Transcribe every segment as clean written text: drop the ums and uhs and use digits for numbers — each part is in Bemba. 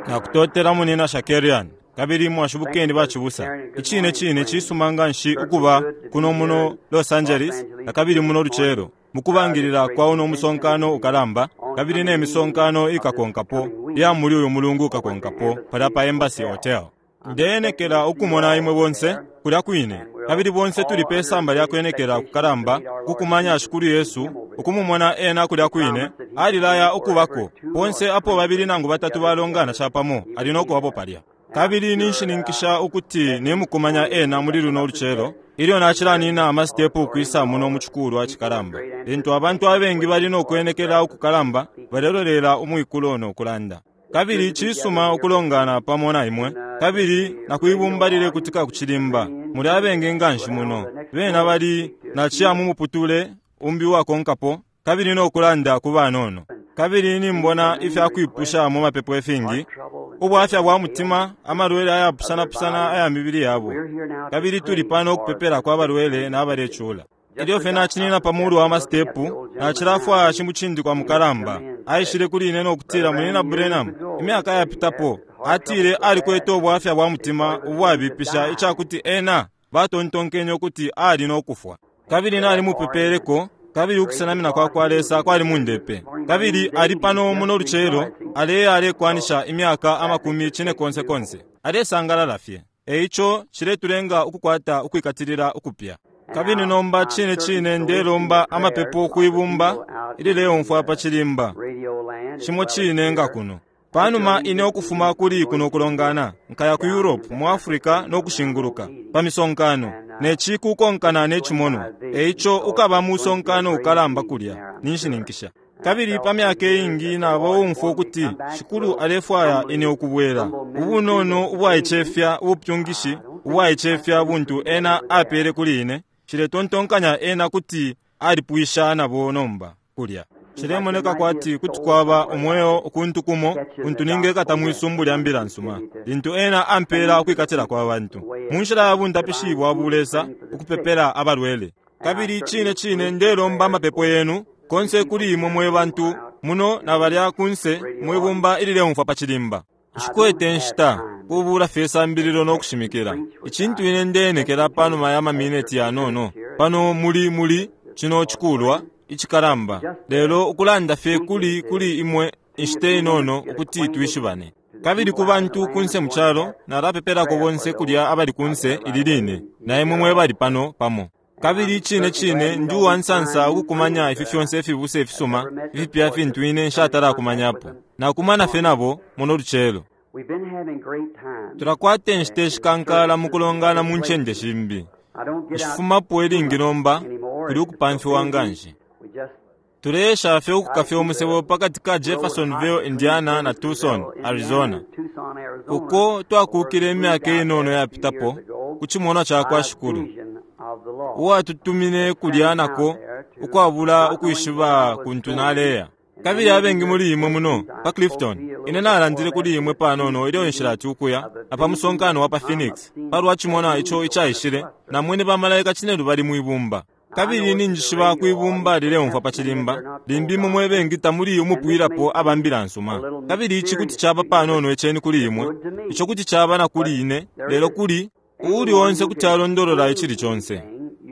Nakutotela Munyina Shakarian, kabili mwashibukeni bacibusa. Icine cine cisuma nganshi ukuba kuno muno Los Angeles nakabili muno lucelo mukubangilila kwa uno musonkano ukalamba kabili ne misonkano ikakonkapo iya muli uyu mulungu ukakonkapo palya pa Embassy Hotel. Ndeenekela ukumona imwe bonse kulya kwine, kabili bonse tuli pe samba lya kwenekela kukalamba ku kumanya Shikulu Yesu, ukumumona Ena kulya kwine. Alilaya ukubako. Ponse apo babili nangu batatu balongana capamo, Ali no kubapo palya. Kabili ninshininkisha ukuti nimukumanya Ena muli luno lucelo, ilyo nacilanina amasitepu ukwisa muno mu cikulwa cikalamba, lintu abantu abengi bali no kwenekela ukukalamba balelolela umwikulo no kulanda. Kabili cisuma ukulongana pamo na imwe, kabili na kwibumba lilekutika ku cilimba. Muli abengi nganshi muno. Bena bali naciya mu muputule umbi uwakonkapo, kabili no kulanda ku banono. Kabili nimbona ifya kwipusha mu mapepo ifingi, ubwafya bwa mutima, amalwele ayapusana-pusana aya mibili yabo. Kabili tuli pano ukupepelako abalwele na balecula. Ilyo fye nacinina pa mulu wa masitepu, nacilafwaya shimucindikwa mukalamba. Aishile kuli ine no kutila, Munyina Branham, imyaka yapitapo, atile alikwete ubwafya bwa mutima ubwabipisha ica kuti ena batontonkenye ukuti ali no kufwa. Kabili nalimupepeleko, kabili ukusenamina kwa kwa Lesa kwali mundepe. Kabili ali pano muno lucelo, aleya alekwanisha imyaka amakumi cinekonse konse. Alesangalala fye. E ico ciletulenga ukukwata ukwikatilila ukupya. Kabili nomba cine cine ndelomba amapepo kwibumba ilileumfwa pa cilimba, cimo cine nga kuno. Panuma ine ukufuma kuli kuno kulongana, nkaya ku Europe, mu Africa no kushinguluka, pa misonkano, ne ci kukonkana ne cimonwa. E ico ukaba musonkano ukalamba kulya, ninshininkisha. Kabili pa myaka iingi naba uumfwa ukuti Shikulu alefwaya ine ukubwela. Ubunono ubwaicefya ubupyungishi ubwaicefya buntu Ena apele kuli ine, nshiletontonkanya Ena kuti alipwisha nabo nomba, kulya. Cilemoneka kwati kuti kwaba umweo ukuntu kumo untu ningekata mwi sumbu lya Mbila nsuma, lintu Ena ampela ukwikatila kwa bantu, mu nshila ya bundapishi bwa bulesa, ukupepela abalwele. Kabili cine cine ndelomba amapepo yenu, konse kuli imwe mwe bantu muno na balya kunse mwi bumba ilileumfwa pa cilimba. Nshikwete nshita, kubuula fye isambililo no kushimikila. Icintu ine ndeenekela panuma ya mamineti yanono pano muli muli cino cikulwa icikalamba, lelo ukulanda fye kuli kuli imwe inshita inono ukuti twishibane. Kabili ku bantu kunse mu calo, nalapepelako bonse kulya abali kunse ili line, na imwe mwe bali pano pamo. Kabili icine cine ndi uwa nsansa ukukumanya ifi fyonse ifibusa ifisuma ifipya fintu ine nshatala kumanyapo. Nakumana fye nabo muno lucelo. Tulakwata inshita ishikankala mu kulongana mu ncende shimbi. Nshifumapo ilingi nomba, kuli ukupamfiwa nganshi. Tuleesha fye ukukafya umusebo pa kati ka Jeffersonville, Indiana na Tucson, Arizona, uko twakuukile imyaka inono yapitapo ku cimonwa ca kwa Shikulu, uwatutumine kulya nako ukwabula ukwishiba kuntu naleya. Kabili abengi muli imwe muno pa Clifton, ine nalandile kuli imwe panono ilyo nshilati ukuya na pa musonkano wa pa Phoenix palwa cimonwa ico icaishile, namwene bamalaika cinelubali mwi bumba. Kabili ninjishiba kwi bumba lileumfwa pa cilimba, limbi imwe mwe bengi tamuli umupwilapo aba Mbila nsuma. Kabili ici kuti caba panono iceni kuli imwe, ico kuti caba na kuli ine, lelo kuli uuli onse kuti alondolola icili conse.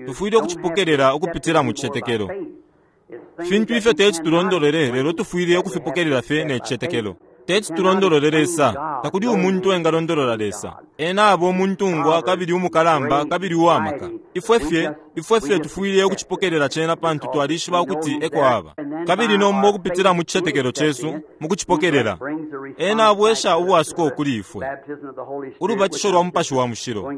Tufwile ukucipokelela ukupitila mu cicetekelo. Fintu ifyo teti tulondolole, lelo tufwile ukufipokelela fye ne cicetekelo. Teti tulondolole Lesa. Takuli umuntu engalondolola Lesa. Ena aba umuntungwa kabili umukalamba kabili uwamaka. Ifwe fye, ifwe fye tufwile ukucipokelela cena pantu twalishiba ukuti eko aba. Kabili nomba ukupitila mu cicetekelo cesu, mu kucipokelela, Ena abwesha ubwasuko kuli ifwe. Ulubatisho lwa Mupashi wa Mushilo,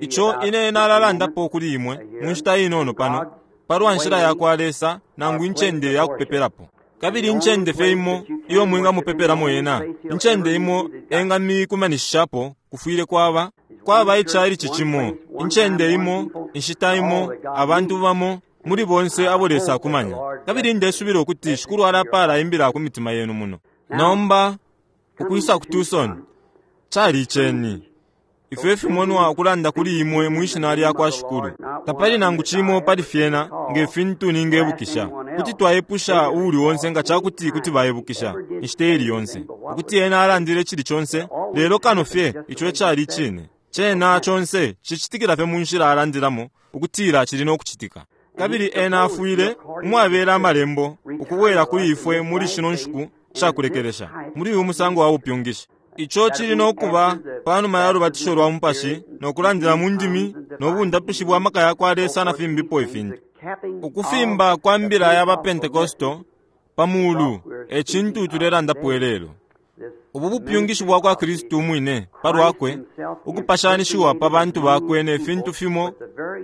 ico ine nalalandapo kuli imwe mu nshita inono pano, palwa nshila yakwa Lesa nangu incende ya kupepelapo. Kabili incende fye imo iyo mwinga mupepelamo Ena, incende imo enga mikumanishishapo, kufwile kwaba, kwaba ichalichi cimo, incende imo, inshita imo, abantu bamo, muli bonse abo Lesa akumanya. Kabili ndesubila ukuti Shikulu alapala imbila ku mitima yenu muno. Nomba, ukwisa ku Tucson, cali iceni. Ifyo ifimonwa ukulanda kuli imwe mwi Shina lyakwa Shikulu. Tapali nangu cimo pali fyena, nge fintu ningebukisha. Kuti twaipusha uuli onse nga cakuti kuti baibukisha inshita ili yonse ukuti ena alandile cili conse, lelo kano fye ico icali icine. Cena conse cicitikila fye mu nshila alandilamo ukutila cili no kucitika. Kabili ena afwile umwabela amalembo ukubwela kuli ifwe muli shino nshiku shakulekelesha muli uyu musango wa bupyungishi. Ico cili no kuba panuma ya lubatisho lwa mupashi no kulandila mu ndimi no bundapishi bwa maka ya kwa Lesa na fimbipo ifintu. Ukufimba kwa mbila ya ba Pentekosto pa mulu e cintu tulelandapo ilelo. Ubu bupyungishi bwa kwa Kristu umwine pa lwakwe ukupashanishiwa pa bantu bakwe ne fintu fimo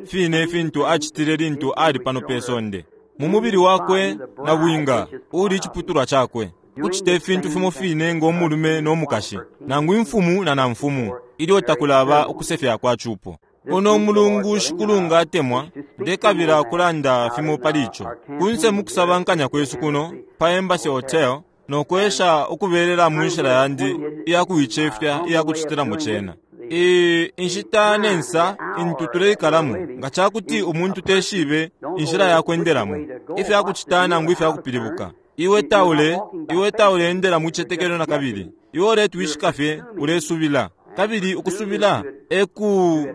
fine fintu acitile lintu ali pano pe sonde mu mubili wakwe na bwinga uli iciputulwa cakwe, kucita ifintu fimo fine ngo mulume no mukashi nangu imfumu na namfumu ilyo takulaba ukusefya kwa cupo. Uno mulungu Shikulu nga atemwa, ndekabila kulanda fimo pali ico kunse mukusabankanya kwesu kuno pa Embassy Hotel no kwesha ukubelela mu nshila yandi iya kuicefya iya kucitilamo cena. Inshita ne nsa intu tuleikalamo nga cakuti umuntu teshibe inshila ya kwendelamo ifya kucita nangu ifya kupilibuka. Iwe taule iwe taule endela mu cicetekelo na kabili. Iwe uletwishika fye ulesubila, kabili ukusubila e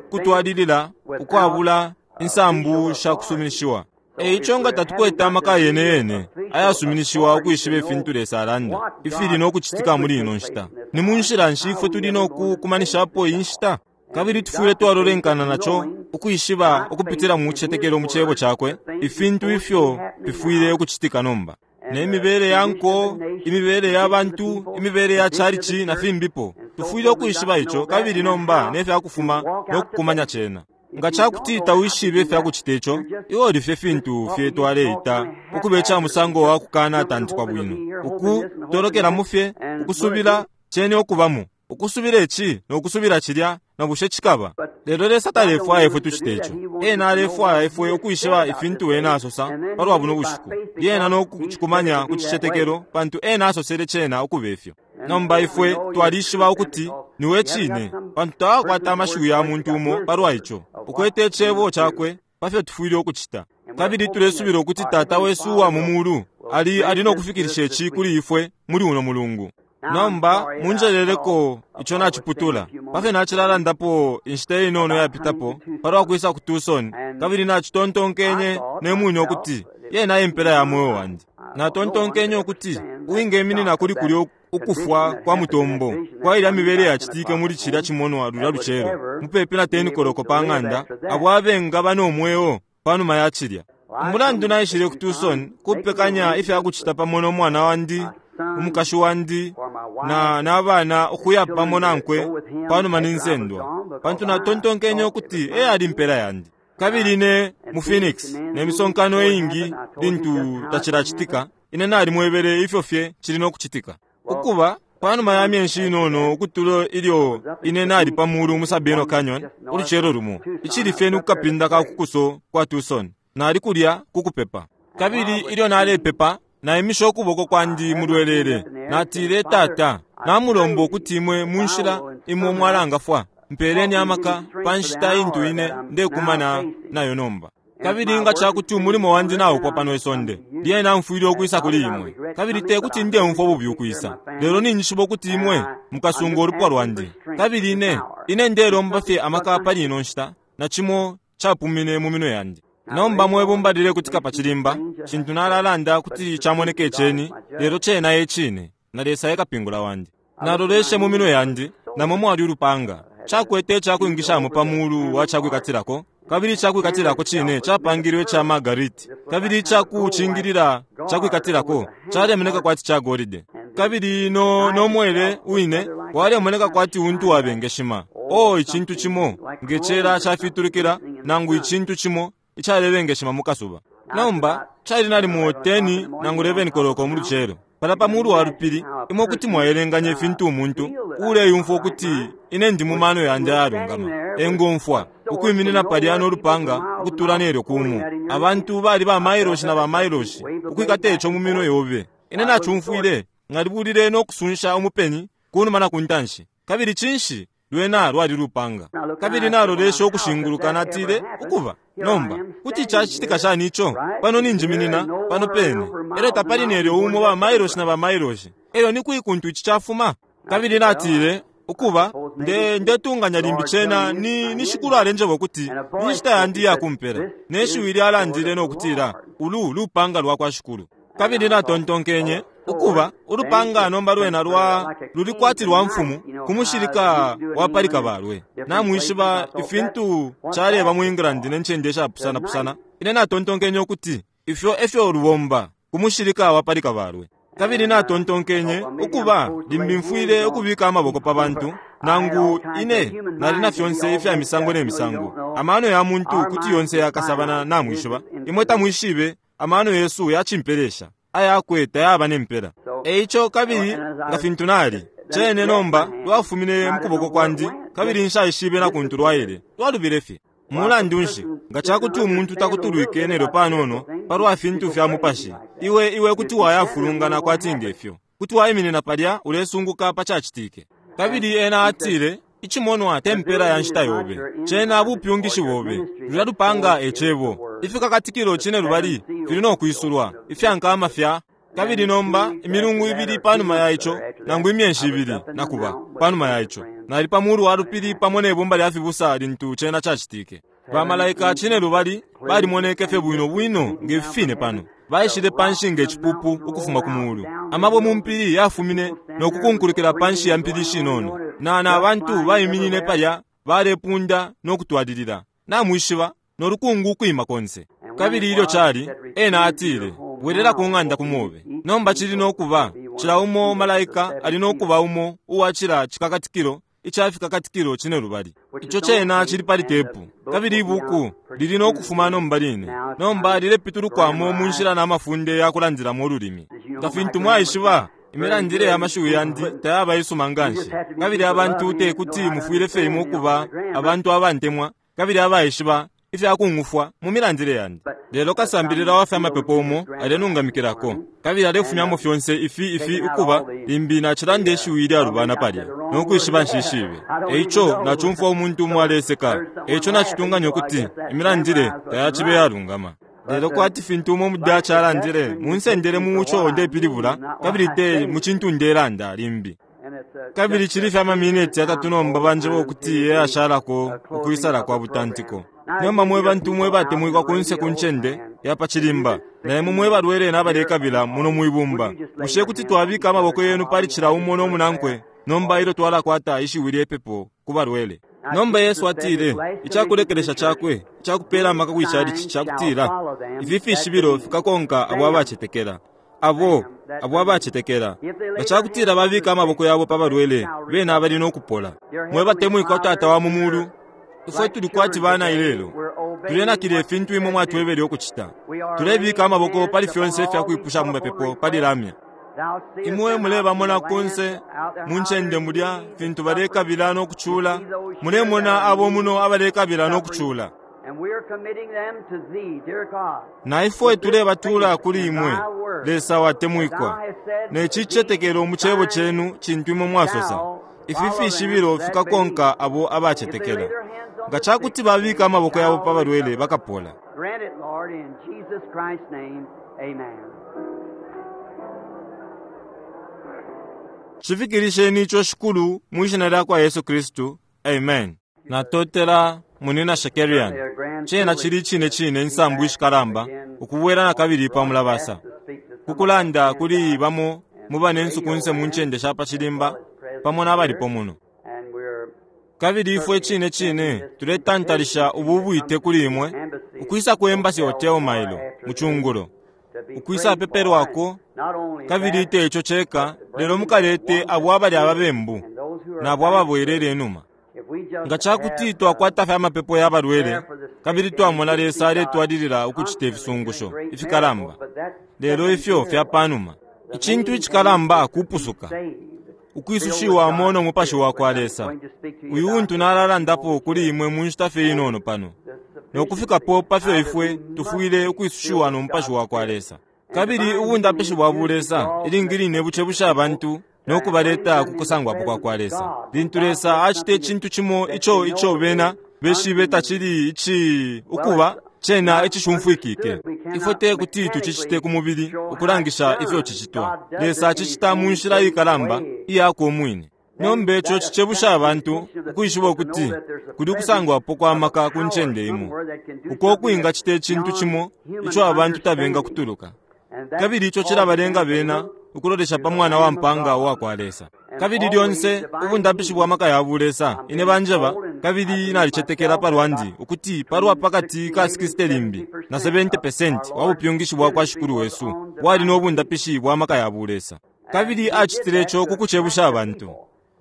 kutwalilila ukwabula insambu sha kusuminishiwa. E ico nga tatukwete amaka yene yene ayasuminishiwa ukwishiba ifintu Lesa alanda ifili no kucitika muli ino nshita, ni mu nshila nshi ifwe tuli no kukumanishapo iyi nshita? Kabili tufwile twalolenkana naco ukwishiba ukupitila mu cicetekelo mu cebo cakwe ifintu ifyo fifwile ukucitika nomba, ne mibele ya nko, imibele ya bantu, imibele ya chalichi na fimbipo. Tufwile ukwishiba ico kabili nomba ne fya kufuma no kukumanya cena. Nga cakuti tawishibe ifya kucita ico, iwe uli fye fintu fye twaleita ukuba ica musango wa kukana tantikwa bwino, ukutolokelamo fye ukusubila cene ukubamo, ukusubila ici no kusubila cilya, na bushe cikaba. Lelo Lesa talefwaya ifwe tucite ico. Ena alefwaya ifwe ukwishiba ifintu ena asosa palwa buno bushiku, lyena no kucikumanya ku cicetekelo, pantu ena asosele cena ukuba ifyo. Nomba ifwe twalishiba ukuti niwe cine, pantu tawakwata amashiwi ya muntu umo palwa ico. Ukwete icebo cakwe pa fyo tufwile ukucita. Kabili tulesubila ukuti Tata wesu uwa mu mulu ali ali no kufikilisha ici kuli ifwe muli uno mulungu. Nomba munjeleleko ico naciputula pa fyo nacilalandapo inshita inono yapitapo palwa kwisa ku Tucson, kabili nacitontonkenye ne mwine ukuti yena impela ya mweo wandi. Natontonkenye ukuti uwingeminina kuli kulya ukufwa kwa mutombo kwa ilya mibele yacitike muli cilya cimonwa lulya lucelo mupepi na 10 koloko pa ng'anda, abo abengaba no mweo panuma ya cilya. Umulandu naishile ku Tucson kupekanya ifya kucita pamo no mwana wandi, umukashi wandi na nabana ukuya pamo nankwe panuma ninsendwa, pantu natontonkenye ukuti e ali impela yandi. Kabili ne mu Phoenix ne misonkano iingi lintu tacilacitika, ine nalimwebele ifyo fye cili no kucitika. Ukuba panuma ya myenshi inono ukutula ilyo ine nali pa mulu mu Sabino Canyon ulucelo lumo, icili fye ni kukapinda ka kukuso kwa Tucson, nali kulya kukupepa. Kabili ilyo nalepepa, naimisha ukuboko kwandi mu lwelele, natile, Tata, namulomba ukuti imwe mu nshila imwe mwalangafwa, mpeleni amaka pa nshita intu ine ndekumana nayo nomba. Kabili nga cakuti umulimo wandi naupwa pano isonde, lyena mfwile ukwisa kuli imwe. Kabili te kuti ndeumfwa bubi ukwisa, lelo ninjishiba ukuti imwe mukasunga ulupwa lwandi. Kabili ine ine ndelomba fye amaka pali ino nshita, na cimo capumine mu minwe yandi. Nomba mwebumba lilekutika pa cilimba, cintu nalalanda kuti camoneka iceni, lelo cena e cine, na Lesa e kapingula wandi. Naloleshe mu minwe yandi, namo mwali ulupanga, cakwete icakwingishamo pa mulu wa cakwikatilako, kabili icakwikatilako cine capangilwe ica margariti, kabili icakucingilila cakwikatilako calemoneka kwati ca golide, kabili no no mwele wine walemoneka kwati untu wabengeshima, o icintu cimo nge cela cafitulukila nangu icintu cimo icalebengeshima mu kasuba. Nomba cali nalimo 10 nangu 11 koloko mu lucelo pala pa mulu wa lupili. Imwe kuti mwaelenganya ifintu umuntu uleyumfwa ukuti ine ndi mu mano yandi ayalungama engomfwa ukwiminina palya no lupanga ukutula nelyo kumu. Abantu bali ba mailoshi na ba mailoshi ukwikata ico mu minwe yobe. Ine nacumfwile ngalibulile no kusunsha umupeni kunuma na kuntanshi. Kabili cinshi Lwena lwali lupanga. Kabili naloleshe ukushinguluka, natile, Ukuba, nomba, kuti cacitika shani ico? Pano ninjiminina, pano pene. Elyo tapali nelyo umo ba mailoshi na ba mailoshi. Elyo ni kwi kuntu ici cafuma? Kabili natile, Ukuba, nde, ndetunganya limbi cena ni, ni Shikulu alenjeba ukuti ni nshita yandi iya kumpela. Ne shiwi lyalandile no kutila, Ulu lupanga lwa kwa Shikulu. Kabili natontonkenye, Ukuba, ulupanga nomba lwena lwa, luli kwati lwa mfumu ku mushilika wa pali kabalwe. Namwishiba ifintu caleba mu England ne ncende ishapusana pusana. Ine natontonkenye ukuti ifyo efyo lubomba ku mushilika wa pali kabalwe. Kabili natontonkenye, Ukuba, limbi mfwile ukubika amaboko pa bantu, nangu ine nali na fyonse ifya misango ne misango. Amano ya muntu kuti yonse yakasabana, namwishiba. Imwe tamwishibe, amano yesu yacimpelesha, ayakwe tayaba ne mpela. E ico kabili nga fintu nali, cene nomba lwafumine mu kuboko kwandi, kabili nshaishibe na kuntu lwaile, lwalubile fye. Mulandu nshi, nga ca kuti umuntu takutulwike nelyo panono palwa fintu fya mupashi, iwe, iwe kuti wayafulungana kwati nge fyo. Kuti waiminina palya ulesunguka pa cacitike. Kabili ena atile, Icimonwa te mpela ya nshita yobe. Cena bupyungishi bobe. Lulya lupanga e Cebo. Ifikakatikilo cinelubali fili no kwisulwa, ifya nkama fya. Kabili nomba, imilungu ibili panuma ya ico, nangu imyeshi ibili, nakuba, panuma ya ico, nali pa mulu wa lupili pamo ne bumba lya fibusa lintu cena cacitike. Ba malaika cinelubali balimoneke fye bwino bwino nge fi fine pano, baishile panshi nge cipupu ukufuma ku mulu. Amabwe mu mpili yafumine no kukunkulikila panshi ya mpili shinono, na, na bantu baiminine palya balepunda no kutwalilila, namwishiba, no lukungu ukwima konse. Kabili ilyo cali, ena atile, Bwelela ku ng'anda ku mobe. Nomba cili no kuba, cila umo malaika ali no kuba umo uwa cila cikakatikilo ica Fikakatikilo Cinelubali. Ico cena cili pali tepu, kabili ibuku lili no kufuma nomba line. Nomba lilepitulukwamo mu nshila na mafunde ya kulandilamo ululimi. Nga fintu mwaishiba, imilandile ya mashiwi yandi tayaba isuma nganshi, kabili abantu te kuti mufwile fye imwe ukuba abantu abantemwa kabili abaishiba ifya kung'ufwa mu milandile yandi. Lelo kasambilila wa fya mapepo umo alenungamikilako, kabili alefumyamo fyonse ifi, ifi, ukuba, limbi nacilanda ishiwi ilyalubana palya, no kwishiba nshishibe. E ico nacumfwa umuntu umo aleseka, e ico nacitunganya ukuti imilandile tayacibe iyalungama. Lelo kwati fintu umo mu Dutch alandile, munsendele mu co ndepilibula, kabili te mu cintu ndelanda, limbi. Kabili cili fye amamineti yatatu nomba banjeba ukuti eyashalako ukwisala kwa butantiko. Nomba mwe bantu mwe batemwikwa kunse ku ncende ya pa cilimba, na imwe mwe balwele na balekabila muno mwi bumba, bushe kuti twabika amaboko yenu pali cila umo no munankwe nomba ilyo twalakwata ishiwi lye pepo ku balwele? Nomba Yesu atile, icakulekelesha Cakwe icakupela amaka kwi chalichi cakutila, Ifi fishibilo fikakonka abo abacetekela. Abo, abo abacetekela. Nga cakutila babika amaboko yabo pa balwele, bena bali no kupola. Mwe batemwikwa Tata wa mu Mulu, ifwe tuli kwati bana ilelo. Tulenakila ifintu Imwe mwatwebele ukucita. Tulebika amaboko pali fyonse ifya kwipusha mu mapepo pali lamya. Imwe mulebamona kunse mu ncende mulya, fintu balekabila no kucula. Mulemona abo muno abalekabila no kucula. Na ifwe tulebatula kuli Imwe, Lesa watemwikwa, ne cicetekelo mu Cebo Cenu cintu Imwe mwasosa, Ifi fishibilo fikakonka abo abacetekela. Nga cakuti babika amaboko yabo pa balwele, bakapola. Cifikilisheni ico, Shikulu, mwi Shina lyakwa Yesu Kristu. Amen. Natotela, Munyina Shakarian. Cena cili icine cine insambu ishikalamba ukubwela nakabili pa mulabasa, ku kulanda kuli bamo mu banensu kunse mu ncende sha pa cilimba pamo na balipo muno. Kabili ifwe icine cine tuletantalisha ubu bwite kuli imwe ukwisa ku Embassy Hotel mailo mu cungulo, ukwisa pepelwako, kabili te ico ceka, lelo mukalete abo abali ababembu nabo ababwelele inuma. Nga ca kuti twakwata fye amapepo ya balwele kabili twamona Lesa aletwalilila ukucita ifisungusho ifikalamba, lelo ifyo fya pa numa. Icintu icikalamba kupusuka, ukwisushiwamo no Mupashi wa kwa Lesa, uyu untu nalalandapo kuli imwe mu nshita fye inono pano, no kufikapo pa fyo ifwe tufwile ukwisushiwa no Mupashi wa kwa Lesa. Kabili ubundapishi bwa bulesa ilingi line bucebusha abantu no kubaleta ku kusangwapo kwa kwa Lesa. Lintu Lesa acita icintu cimo ico ico bena beshibe tacili ici ukuba cena icishumfwikike. Ifwe te kuti tucicite ku mubili ukulangisha ifyo cicitwa. Lesa acicita mu nshila ikalamba iyakwe umwine. Nomba ico cicebusha abantu ukwishiba ukuti kuli ukusangwapo kwa maka ku ncende imo, uko ukwingacita icintu cimo ico abantu tabengakutuluka. Kabili ico cilabalenga bena ukulolesha pa Mwana wa mpaanga uwa kwa Lesa. Kabili lyonse ubundapishi bwa maka ya bulesa, ine banjeba, kabili nalicetekela pa lwandi ukuti palwa pakati ka 60 limbi na 70% wa bupyungishi bwa kwa Shikulu wesu bwali no bundapishi bwa maka ya bulesa. Kabili acitile ico ku kucebusha abantu.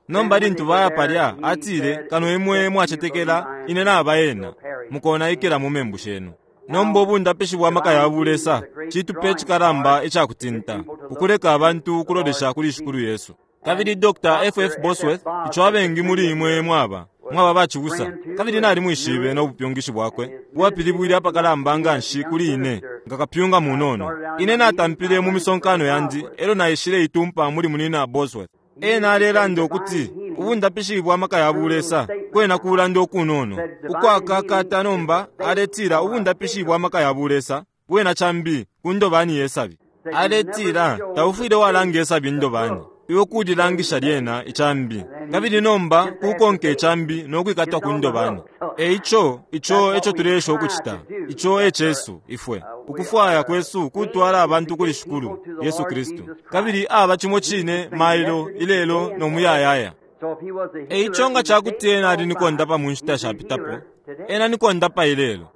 Nomba lintu baya palya, atile, Kano imwe mwacetekela ine naba ena, mukonaikila mu membu shenu. Nomba ubundapishi bwa maka ya bulesa citupe icikalamba icakutinta, ukuleka abantu ukulolesha kuli Shikulu Yesu. Kabili Dr. F. F. Bosworth, ico abengi muli imwe mwaba, mwaba bacibusa, kabili nalimwishibe no bupyungishi bwakwe bwapilibwile apakalamba nganshi kuli ine nga kapyunga munono. Ine natampile mu misonkano yandi elyo naishile itumpa muli munina Bosworth. Ena alelanda ukuti ubundapishi bwa maka ya bulesa kwena kulanda ukunono ukwakakata. Nomba aletila ubundapishi bwa maka ya bulesa bwena cambi ku ndobani ye sabi. Aletila taufwile walanga isabi indobani, iwe kulilangisha lyena icambi, kabili nomba kukonka icambi no kwikatwa ku ndobani. E ico ico eco tuleesha ukucita, ico e cesu ifwe. Ukufwaya kwesu kutwala abantu kuli Shikulu Yesu Kristu, kabili aba cimo cine mailo, ilelo no muyayaya. E ico nga ca kuti ena ali ni kondapa mu nshita shapitapo, ena ni kondapa ilelo.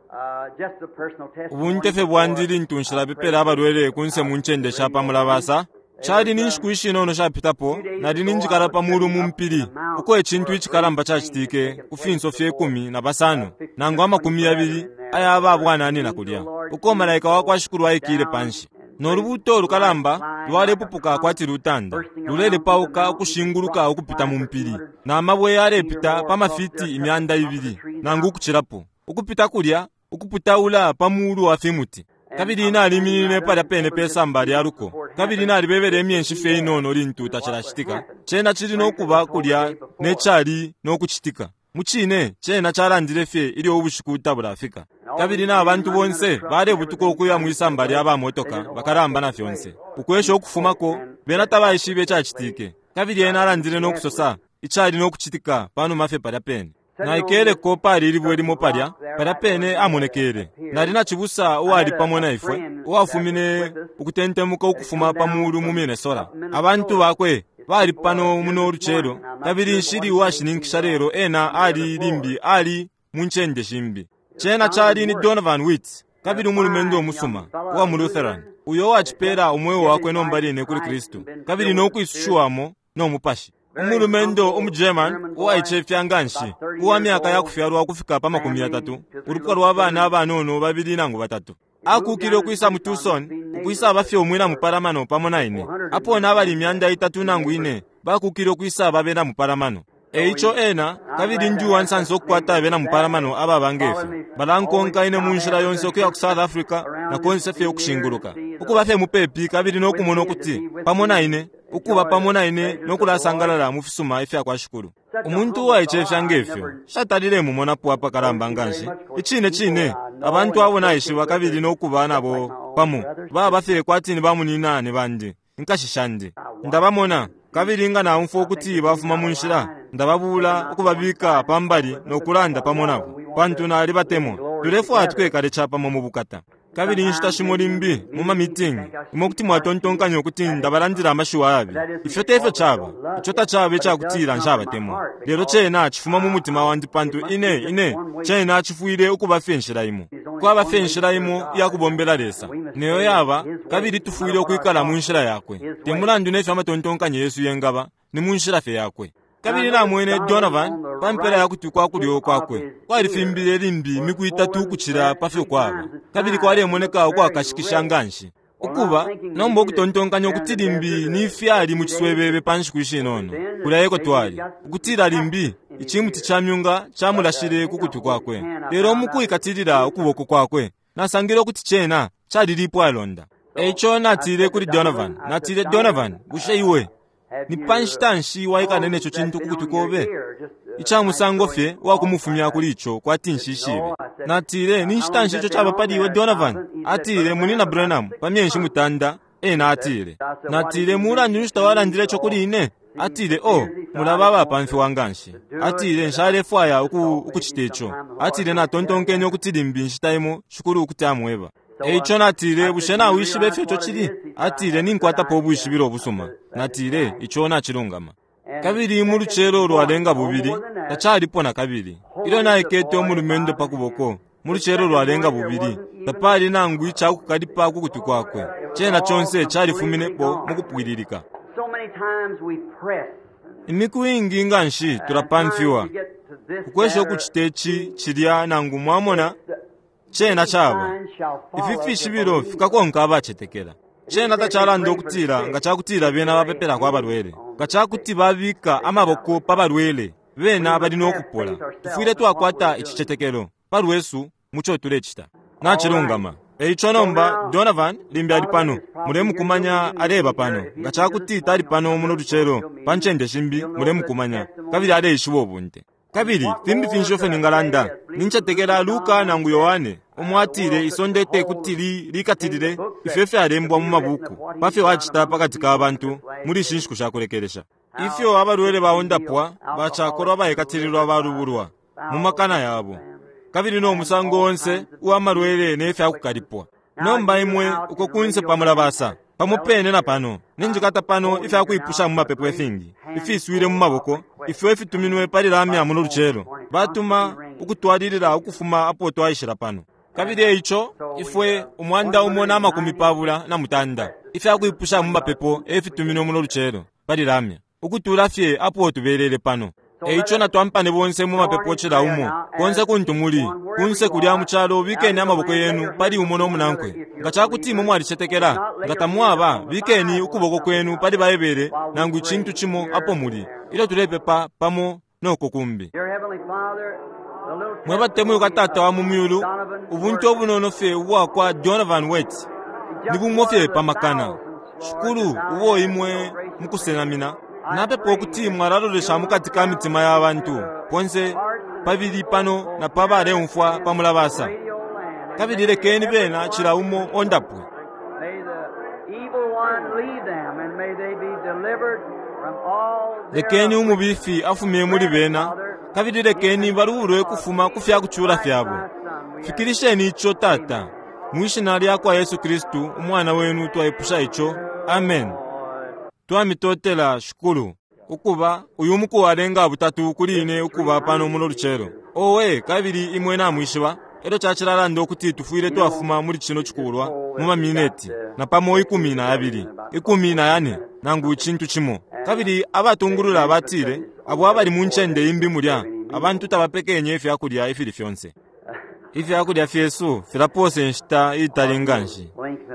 Ubunte fye bwandi lintu nshilapepela abalwele kunse mu ncende sha pa mulabasa, cali ni nshiku ishinono shapitapo nali ninjikala pa mulu mu mpili uko icintu icikalamba cacitike ku finso fye 15 nangu 20 aya ba bwananina kulya, uko malaika wa kwa Shikulu aikile panshi. No lubuuto lukalamba lwalepupuka kwati lutanda, lulelepauka ukushinguluka ukupita mu mpili, na mabwe yalepita pa mafiti 200 nangu ukucilapo, ukupita kulya, ukuputaula pa mulu wa fimuti. Kabili naliminine palya pene pe samba lya luko, kabili nalibebele imyeshi fye inono lintu tacilacitika, cena cili no kuba kulya ne cali no kucitika. Mucine, cena calandile fye ilyo ubushiku tabulafika. Kabili na bantu bonse balebutuka ukuya mwi samba lya ba motoka bakalamba na fyonse, ukwesha ukufumako, bena tabaishibe icacitike. Kabili ena alandile no kusosa icali no kucitika panuma fye palya pene. Naikeleko pali ilibwe limo palya, palya pene amonekele. Nali na cibusa uwali pamo na ifwe, uwafumine ukutentemuka ukufuma pa mulu mu Minnesota. Abantu bakwe bali pano muno lucelo, kabili nshili uwashininkisha lelo ena ali limbi ali mu ncende shimbi. Cena cali ni Donovan Witt, kabili umulumendo umusuma uwa mu Lutheran, uyo uwacipela umweo wakwe nomba line kuli Kristu, kabili no kwisushiwamo no Mupashi. Umulumendo umu German uwaicefya nganshi, uwa myaka ya kufyalwa ukufika pa 30, ulupwa lwa bana abanono babili nangu batatu. Akukile ukwisa mu Tucson, ukwisaba fye umwina mupalamano pamo na ine. Apo nabali 300 nangu ine, bakukile ukwisaba abena mupalamano. E ico ena, kabili ndi uwansansa ukukwata abena mupalamano ababa ngefyo. Balankonka ine mu nshila yonse ukuya ku South Africa na konse fye ukushinguluka. Ukuba fye mupepi kabili no kumona ukuti pamo na ine, ukuba pamo na ine no kulasangalala mu fisuma ifya kwa Shikulu. Umuntu uwaicefya ngefyo, nshatalile mumonapo apakalamba nganshi. Icine cine, abantu abo naishiba kabili no kuba nabo pamo, baba fye kwati ni bamunyinane bandi, inkashi shandi. Ndabamona, kabili nga naumfwa ukuti bafuma mu nshila, ndababula ukubabika pambali no kulanda pamo nabo, pantu nalibatemwa. Tulefwaya twekale capamo mu bukata. Kabili inshita shimo limbi mu ma meeting, imwe kuti mwatontonkanya ukuti ndabalandila amashiwi ayabi. Ifyo te fyo caba. Ico tacaba icakutila nshabatemwa. Lelo cena cifuma mu mutima wandi pantu ine, ine, cena cifwile ukuba fye inshila imo. Kwaba fye inshila imo iya kubombela Lesa, neyo yaba, kabili tufwile ukwikala mu nshila yakwe. Te mulandu nefyo amatontonkanyo yesu yengaba, ni mu nshila fye yakwe. Kabili namwene Donovan pa mpela ya kutwi kwa kulyo kwakwe kwalifimbile limbi imiku itatu ukucila pa fyo kwaba, kabili kwalemoneka ukwakashikisha nganshi. Ukuba nomba ukutontonkanya ukuti limbi ni fyali mu ciswebebe pa nshiku ishinono, kulya eko twali, ukutila limbi icimuti ca myunga camulashile ku kutwi kwakwe. Lelo mukwikatilila ukuboko kwakwe, nasangile ukuti cena calilipwalonda. E ico natile kuli Donovan, natile, Donovan, bushe iwe Ni pa nshita nshi waikala ne co cintu ku kutwi kobe? Ica musango fye uwakumufumya kuli ico kwati nshishibe. Natile, Ni nshita nshi ico caba pali iwe, Donovan? Atile, Munyina Branham, pa myeshi mutanda, ena atile. Natile, Mulandu nshi tawalandile ico kuli ine? Atile, Oh, mulaba abapamfiwa nganshi. Atile, Nshalefwaya uku, ukucita ico. Atile, Natontonkenye ukuti limbi inshita imo Shikulu kuti amweba. E ico natile, Bushe nawishiba ifyo ico cili? Atile, Ninkwatapo ubwishibilo ubusuma. Natile, Ico nacilungama. Kabili mu lucelo lwalenga bubili, tacalipo na kabili. Ilyo naikete umulumendo pa kuboko, mu lucelo lwalenga bubili, tapali nangu ica kukalipa ku kutwi kwakwe. Cena conse califuminepo mukupwililika. Imiku iingi nganshi tulapamfiwa, ukwesha ukucita ici, cilya, nangu, mwamona, cena caba, Ifi fishibilo fikakonka abacetekela. Cena tacalanda ukutila nga cakutila bena bapepelako abalwele, nga cakuti babika amaboko pa balwele, bena bali no kupola. Tufwile twakwata icicetekelo, palwesu, muco tulecita. Nacilungama. E ico nomba, Donovan limbi ali pano. Mulemukumanya aleba pano. Nga cakuti tali pano muno lucelo, pa ncende shimbi, mulemukumanya. Kabili aleishiba ubunte. Kabili fimbi finshi ifyo ningalanda? Nincetekela Luka nangu Yohane, umo atile isonde te kuti li, likatilile ifyo ifyalembwa mu mabuku pa fyo acita pakati ka bantu muli ishi nshiku sha kulekelesha. Ifyo abalwele baundapwa, bacakolwa baikatililwa balubulwa mu makana yabo, kabili no musango onse uwa malwele ne fya kukalipwa. Nomba imwe uko kunse pa mulabasa, pamo pene na pano, ninjikata pano ifya kwipusha mu mapepo ifingi ifiswile mu maboko ifyo ifituminwe pali lamya muno lucelo, batuma ukutwalilila ukufuma apo twaishila pano. Kabili e ico ifwe 193 ifya kwipusha mu mapepo e fituminwe muno lucelo pali lamya, ukutula fye apo tubelele pano. E ico natwampane bonse mu mapepo cila umo, konse kuntu muli, kunse kulya mu calo, bikeni amaboko yenu pali umo no munankwe. Nga ca kuti imwe mwalicetekela, nga tamwaba, bikeni ukuboko kwenu pali Baibele nangu icintu cimo apo muli, ilyo tulepepa pamo no ko kumbi. Mwe batemwikwa Tata wa mu Myulu, ubunte ubunono fye ubwakwa Donovan Weerts ni bumo fye pa makana, Shikulu, ubo Imwe mukusenamina. Napepa ukuti Mwalalolesha mukati ka mitima ya bantu, ponse pabili pano na pa baleumfwa pa mulabasa, kabili lekeni bena cila umo ondapwe. Lekeni umubifi afumye muli bena, kabili lekeni balubulwe ukufuma ku fya kucula fyabo. Fikilisheni ico, Tata. Mwi Shina lyakwa Yesu Kristu, Umwana Wenu, twaipusha ico. Amen. Twamitotela, Shikulu. Ukuba, uyu muku walenga butatu kuli ine ukuba pano muno lucelo. Owe, kabili imwe namwishiba, elyo cacilalanda ukuti tufwile twafuma muli cino cikulwa mu mamineti napamo 12, 14, nangu icintu cimo. Kabili abatungulula batile, abo abali mu ncende imbi mulya, abantu tabapekenye ifya kulya ifili fyonse. Ifya kulya fyesu filapoosa inshita iitali nganshi.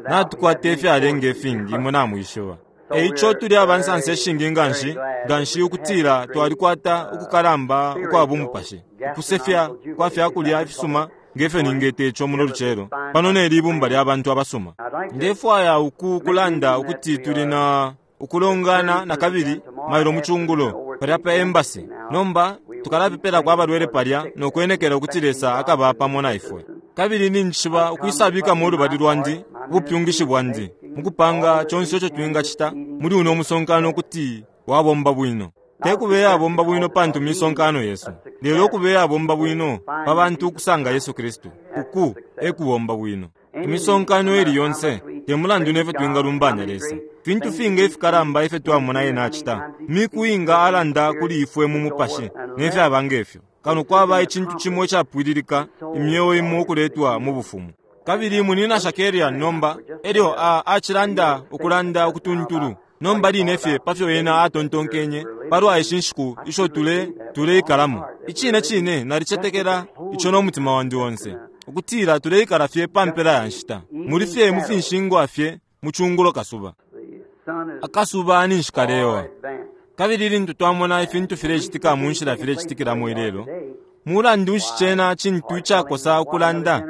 Natukwata ifyalenga ifingi, imwe namwishiba. E ico tuli aba nsansa ishingi nganshi, nganshi ukutila twalikwata ukukalamba ukwa bumupashi, ukusefya kwa fya kulya ifisuma, nge fyo ningeta ico muno lucelo, pano neli ibumba lya bantu abasuma. Ndefwaya uku kulanda ukuti tuli na ukulongana nakabili mailo mu cungulo, palya pa embassy. Nomba tukalapepelako abalwele palya no kwenekela ukuti Lesa akaba pamo na ifwe. Kabili ninjishiba ukwisabikamo ulubali lwandi, ubupyungishi bwandi, mukupanga conse ico twingacita muli uno musonkano ukuti wabomba bwino. Te kube yabomba bwino pantu misonkano yesu, lelo kube yabomba bwino pa bantu ukusanga Yesu Kristu. Uku e kubomba bwino. Imisonkano ili yonse, te mulandu nefyo twingalumbanya Lesa, fintu finga ifikalamba ifyo twamona Ena acita, miku inga Alanda kuli ifwe mu Mupashi, ne fyaba ngefyo, kano kwaba icintu cimo icapwililika, imyeo imo ukuletwa mu Bufumu. Kabili Munyina Shakarian nomba, elyo a, acilanda ukulanda ukutuntulu nomba line fye pa fyo ena atontonkenye palwa ishi nshiku isho tule, tuleikalamo. Icine cine nalicetekela ico no mutima wandi onse, ukutila tuleikala fye pa mpela ya nshita, muli fye mu finshingwa fye mu cungulo kasuba. Akasuba ninshi kalewa. Kabili lintu twamona ifintu filecitika mu nshila filecitikilamo ilelo, mulandu nshi cena cintu icakosa ukulanda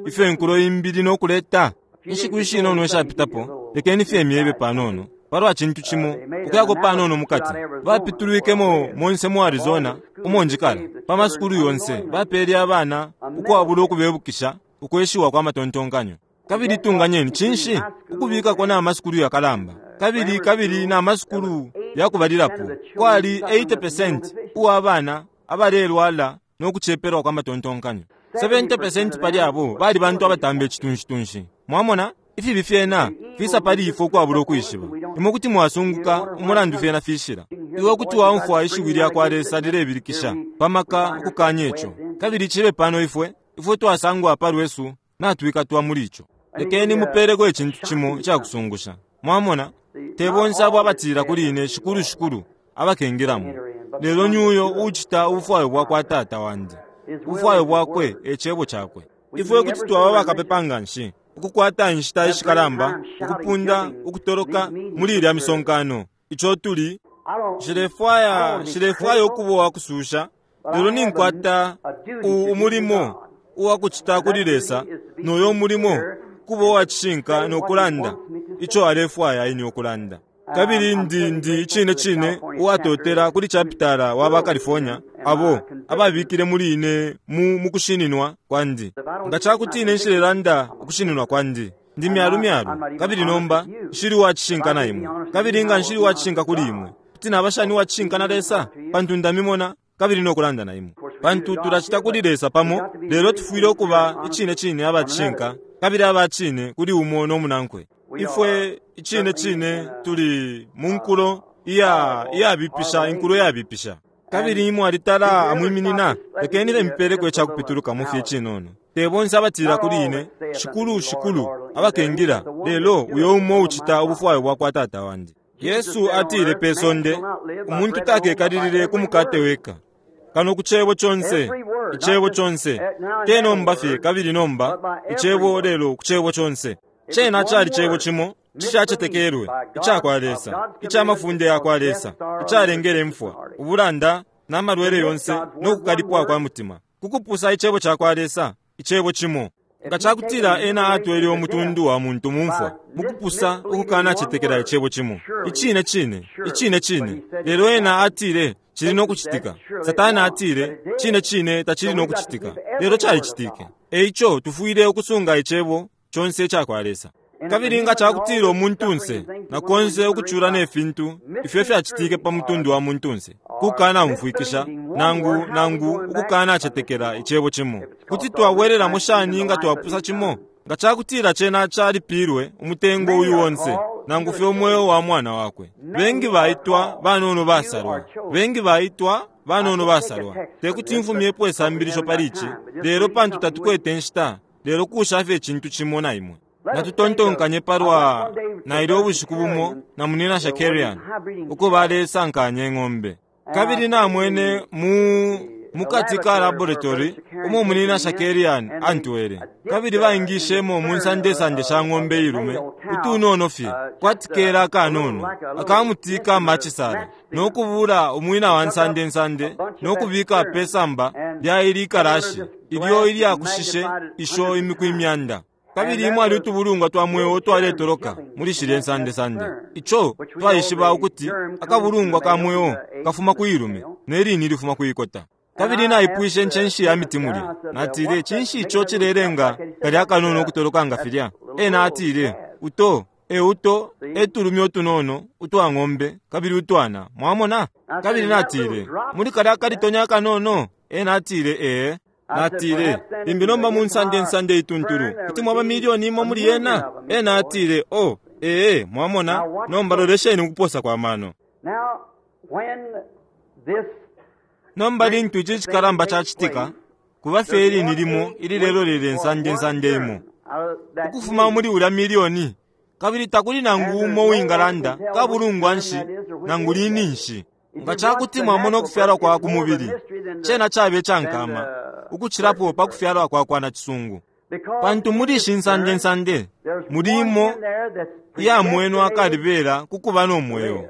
ifyo inkulo imbi ili no kuleta? Inshiku ishinono ishapitapo, lekeni fye myebe panono. palwa cintu cimo ukuyako panono mukati. Bapitulwikemo monse mu Arizona umo njikala, pa masukulu yonse bapele abana ukwabula ukubebukisha ukweshiwa kwa matontonkanyo. Kabili tunganyeni cinshi ukubikako na masukulu yakalamba kabili kabili na masukulu yakubalilapo kwali 80% uwa bana abalelwala no kucepelwa kwa matontonkanyo. 70% pali abo bali bantu abatamba icitunshi-tunshi. Mwamona ifibi fyena fisa pali ifwe ukwabula ukwishiba. Imwe kuti mwasunguka umulandu fyena fishila. Iwe kuti waumfwa ishiwi lya kwa Lesa lilebilikisha pamaka ukukanya ico. Kabili cibe pano ifwe twasangwa pa lwesu natwikatwa muli ico. Lekeni mupeleko icintu cimo icakusungusha. Mwamona te bonse abo abatila kuli ine shikulu shikulu abakengilamo, lelo ni uyo ucita ubufwayo bwa kwa Tata wandi. Ubufwayo bwakwe e cebo cakwe. Ifwe kuti twaba bakapepa nga nshi ukukwata inshita ishikalamba ukupunda ukutoloka muli ilya misonkano ico tuli. Nshilefwaya ukuba uwakususha, lelo ninkwata umulimo uwakucita kuli Lesa, noyo mulimo kuba uwacishinka nokulanda ico alefwaya ine ukulanda. Kabili ndi icine cine uwatotela kuli chapitala wa ba California abo ababikile muli ine mu kushininwa kwandi. Nga cakuti ine nshilelanda ukushininwa kwandi, ndi myalu myalu, kabili nomba nshili uwacishinka na imwe. Kabili nga nshili uwacishinka kuli imwe, kuti naba shani uwacishinka na Lesa? Pantu ndamimona kabili nokulanda na imwe. Pantu tulacita kuli Lesa pamo, lelo tufwile ukuba icine cine abacishinka kabili abacine kuli umo no munankwe. Ifwe icine cine tuli mu nkulo iyabipisha, inkulo iyabipisha. Kabili imwe alitala amwiminina, lekeni bemipeleko icakupitulukamo fye cinono. Te bonse abatila kuli ine shikulu shikulu abakengila, lelo uyo umo ucita ubufwayo bwa kwa Tata wandi. Yesu atile pe sonde, umuntu takekalilile ku mukate weka, kano ku cebo conse, icebo conse, te nomba fye kabili nomba icebo, lelo ku cebo conse. Cena cali cebo cimo cishacetekelwe ica kwa Lesa, ica mafunde ya kwa Lesa, icalengele imfwa, ubulanda na malwele yonse no kukalipwa kwa mutima, kukupusa icebo ca kwa Lesa, icebo cimo. Nga cakutila ena atwele umutundu wa muntu mumfwa mukupusa ukukanacetekela icebo cimo, icine cine, icine cine. Lelo ena atile cili no kucitika. Satana atile cine cine tacili no kucitika, lelo calicitike. Eico tufwile ukusunga icebo conse ica kwa Lesa. Kabili nga cakutila umuntunse na konse ukucula ne fintu ifyo fyacitike pa mutundu wa muntunse, kukanaumfwikisha nangu ukukanacetekela icebo cimo, kuti twabwerelamo shani nga twapusa cimo? Nga cakutila cena calipilwe umutengo uyu wonse, nangu fye umweo wa mwana wakwe. Bengi baitwa banono basalwa, bengi baitwa banono basalwa. Tekuti mfumyepo isambilisho pali ici, lelo pantu tatukwete nshita, lelo kusha fye icintu cimo na imwe. Natutontonkanye palwa naile ubushiku bumo na munina Shakarian uko balesankanya ing'ombe. Kabili namwene mukati ka laboratory umo munina Shakarian antwele. Kabili baingishemo mu nsandesande sha ng'ombe ilume utunono fye kwati kela akanono akamuti kamacisala, nokubula umwina wa nsandensande nokubika pesamba lya ili ikalashi ilyo ilyakushishe isho imiku imyanda. Kabili mwali utubulungwa twa mweo twaletoloka muli shilye nsandesande. Ico twaishiba ukuti akabulungwa ka mweo kafuma ku ilume ne lini lifuma ku ikota. Kabili naipwishe ncenshi ya miti mulya. Natile, cinshi ico cilelenga kalya kanono ukutoloka nga filya? Ena atile, uto euto etulumi utunono utwa ng'ombe kabili utwana. Mwamona? Kabili natile, muli kalya kalitonya kanono? Ena atile, ee. Natile, limbi nomba mu nsandensande ituntulu kuti mwaba milioni imo muli yena? Ena atile, oh, ee, mwamona? Nomba lolesheni ukuposa kwa mano. Nomba lintu ici cikalamba cacitika, kuba fye ilini limo ililelolele nsandensande imo ukufuma muli ulya milioni, kabili takuli nangu umo uwingalanda kabulungwa nshi nangu lini nshi. Nga cakuti mwamona ukufyalwa kwa ku mubili, cena cabe cankama ukucilapo pa kufyalwa kwa kwa nacisungu. Pantu muli ishi nsandensande muli imo iyamwenwa akalibela kukuba no mweo,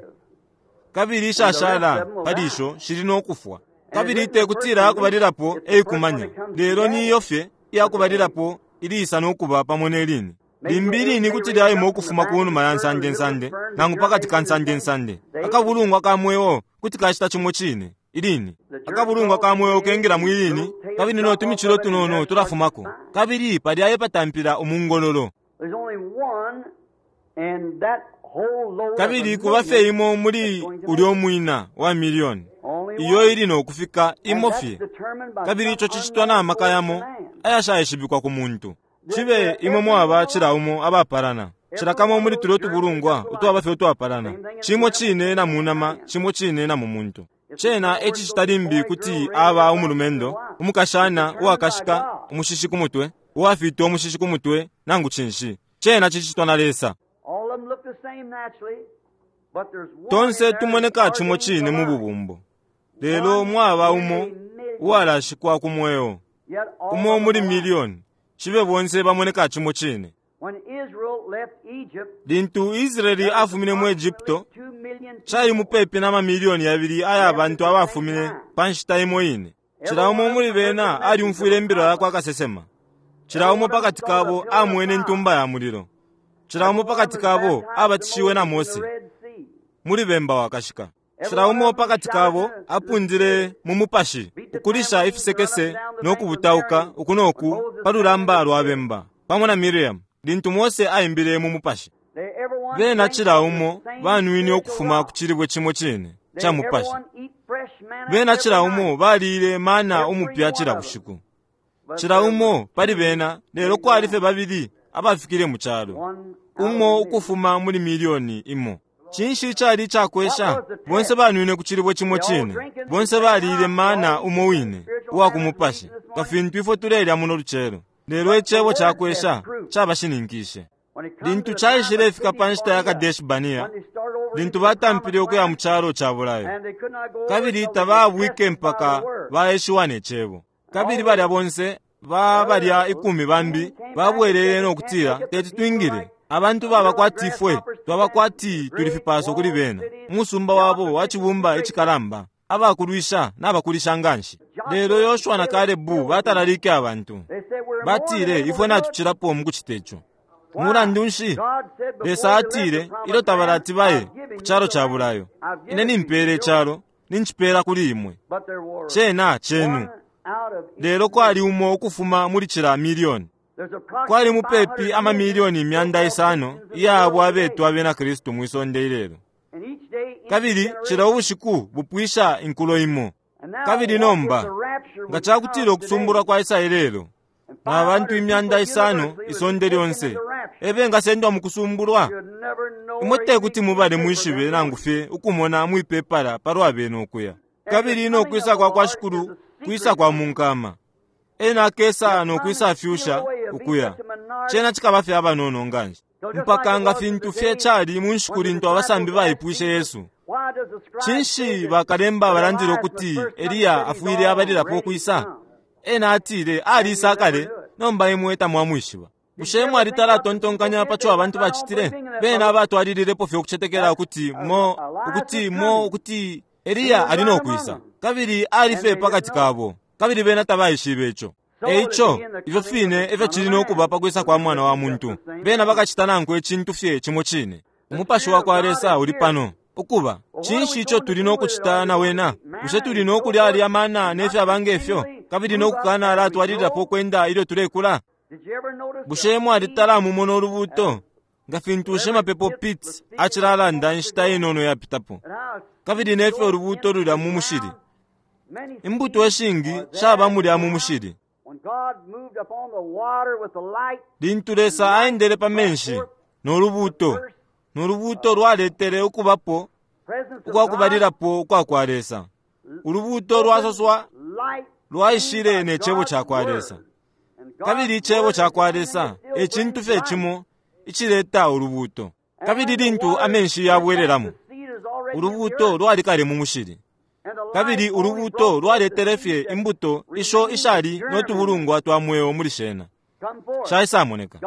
kabili ishashala pali isho shili no kufwa. Kabili tekutila yakubalilapo eikumanya, lelo niyo fye iyakubalilapo iliisa no kuba pamo ne lini. Limbi lini kuti lyaima ukufuma ku numa ya nsandensande nangu pa kati ka nsandensande. Akabulungwa ka mweo kuti kacita cimo cine. Ilini. Akabulungwa ka mweo kengila mwi lini, kabili no tumicilo tunono tulafumako. Kabili palya epatampila umungololo. Kabili kuba fye imo muli ulyo mwina wa milioni, iyo ili no kufika imo fye. Kabili ico cicitwa na maka yamo ayashaishibikwa ku muntu. Cibe imwe mwaba cila umo abapalana. Cila kamo muli tulyo tubulungwa utwaba fye utwapalana. Cimo cine na mu nama, cimo cine na mu muntu. Cena e cicita limbi kuti aba umulumendo, umukashana uwakashika umushishi ku mutwe, uwafita umushishi ku mutwe, nangu cinshi. Cena cicitwa na Lesa. Tonse tumoneka cimo cine mu bubumbo. Lelo mwaba umo uwalashikwa ku mweo, umo muli milioni, cibe bonse bamoneka cimo cine. Lintu Israeli afumine mu Egypto, cali mupepi na mamilioni yabili aya bantu abafumine pa nshita imo ine. Cila umo muli bena alyumfwile imbila ya kwa kasesema. Cila umo pakati kabo amwene intumba ya mulilo. Cila umo pakati kabo abatishiwe na Mose muli bemba wakashika. Cila umo pakati kabo apundile mu mupashi ukulisha ifisekese no kubutauka uku no ku pa lulamba lwa bemba pamo na Miriam lintu Mose aimbile mu mupashi. Bena cila umo banwine ukufuma ku cilibwe cimo cine ca mupashi. Bena cila umo baliile mana umupya cila bushiku. Cila umo pali bena, lelo kwali fye babili abafikile mu calo, umo ukufuma muli milioni imo. Cinshi icali icakwesha? Bonse banwine ku cilibwe cimo cine. Bonse baliile mana umo wine uwa ku mupashi, nga fintu ifwe tulelya muno lucelo. Lelo icebo cakwesha cabashininkishe. Lintu caishilefika pa nshita ya Kadeshi Bania, lintu batampile ukuya mu calo ca bulayo, kabili tabaabwike mpaka baeshiwa ne cebo. Kabili balya bonse ba balya ikumi bambi babwelele no kutila, Teti twingile. Abantu baba kwati ifwe, twaba kwati tuli fipaso kuli bena. Umusumba wabo wa cibumba icikalamba, abakulwisha nabakulisha nganshi. Lelo Yoshua na Kalebu batalalike abantu. Batile, Ifwe natucilapo mu kucita ico. Mulandu nshi? Lesa atile, ilyo tabalati baye ku calo ca bulayo, Ine nimpeela icalo, nincipeela kuli imwe. Cena cenu. Lelo kwali umo ukufuma muli cila milioni. Kwali mupepi amamilioni 500 iya abo abetwa abena Kristu mwi sonde ilelo. Kabili cila ubushiku bupwisha inkulo imo. Kabili nomba, nga cakutila ukusumbulwa kwaisa ilelo, na bantu 500 isonde lyonse e bengasendwa mu kusumbulwa, imwe te kuti mubale mwishibe nangu fye ukumona mwipepala palwa bena ukuya. Kabili no kwisa kwa kwa Shikulu kwisa kwa munkama. Ena akesa no kwisa fyusha ukuya. Cena cikaba fye abanono nganshi. Mpaka nga fintu fye cali mu nshiku lintu abasambi baipwishe Yesu, Cinshi bakalemba balandile ukuti Eliya afwile abalilapo ukwisa? Ena atile, Alisa kale, nomba imwe tamwamwishiba. Bushe mwalitala tontonkanya pa co abantu bacitile? Bena batwalililepo fye ukucetekela ukuti mo, ukuti mo, ukuti Eliya ali no kwisa. Kabili ali fye pakati kabo, kabili bena tabaishibe ico. E ico, ifyo fine efyo cili no kuba pa kwisa kwa Mwana wa muntu. Bena bakacita nankwe icintu fye cimo cine. Umupashi wa kwa Lesa uli pano. Ukuba, cinshi ico tuli no kucita na wena? Bushe tuli no kulya alya mana ne fyaba nge fyo, kabili no kukana alatwalililapo ukwenda ilyo tulekula? Bushe mwalitala mumona ulubuuto? Nga fintu Shimapepo Pitts acilalanda inshita inono yapitapo, kabili ne fyo ulubuuto lulya mu mushili. Imbuto ishingi shaba mulya mu mushili. Lintu Lesa aendele pa menshi no lubuuto, no lubuuto lwaletele ukubapo ukwa kubalilapo ukwa kwa Lesa. Ulubuuto lwasoswa lwaishile ne Cebo ca kwa Lesa. Kabili Icebo ca kwa Lesa e cintu fye cimo icileta ulubuuto. Kabili lintu amenshi yabwelelamo, ulubuuto lwali kale mu mushili. Kabili ulubuuto lwaletele fye imbuto isho ishali no tubulungwa twa mweo muli shena. Shaisamoneka.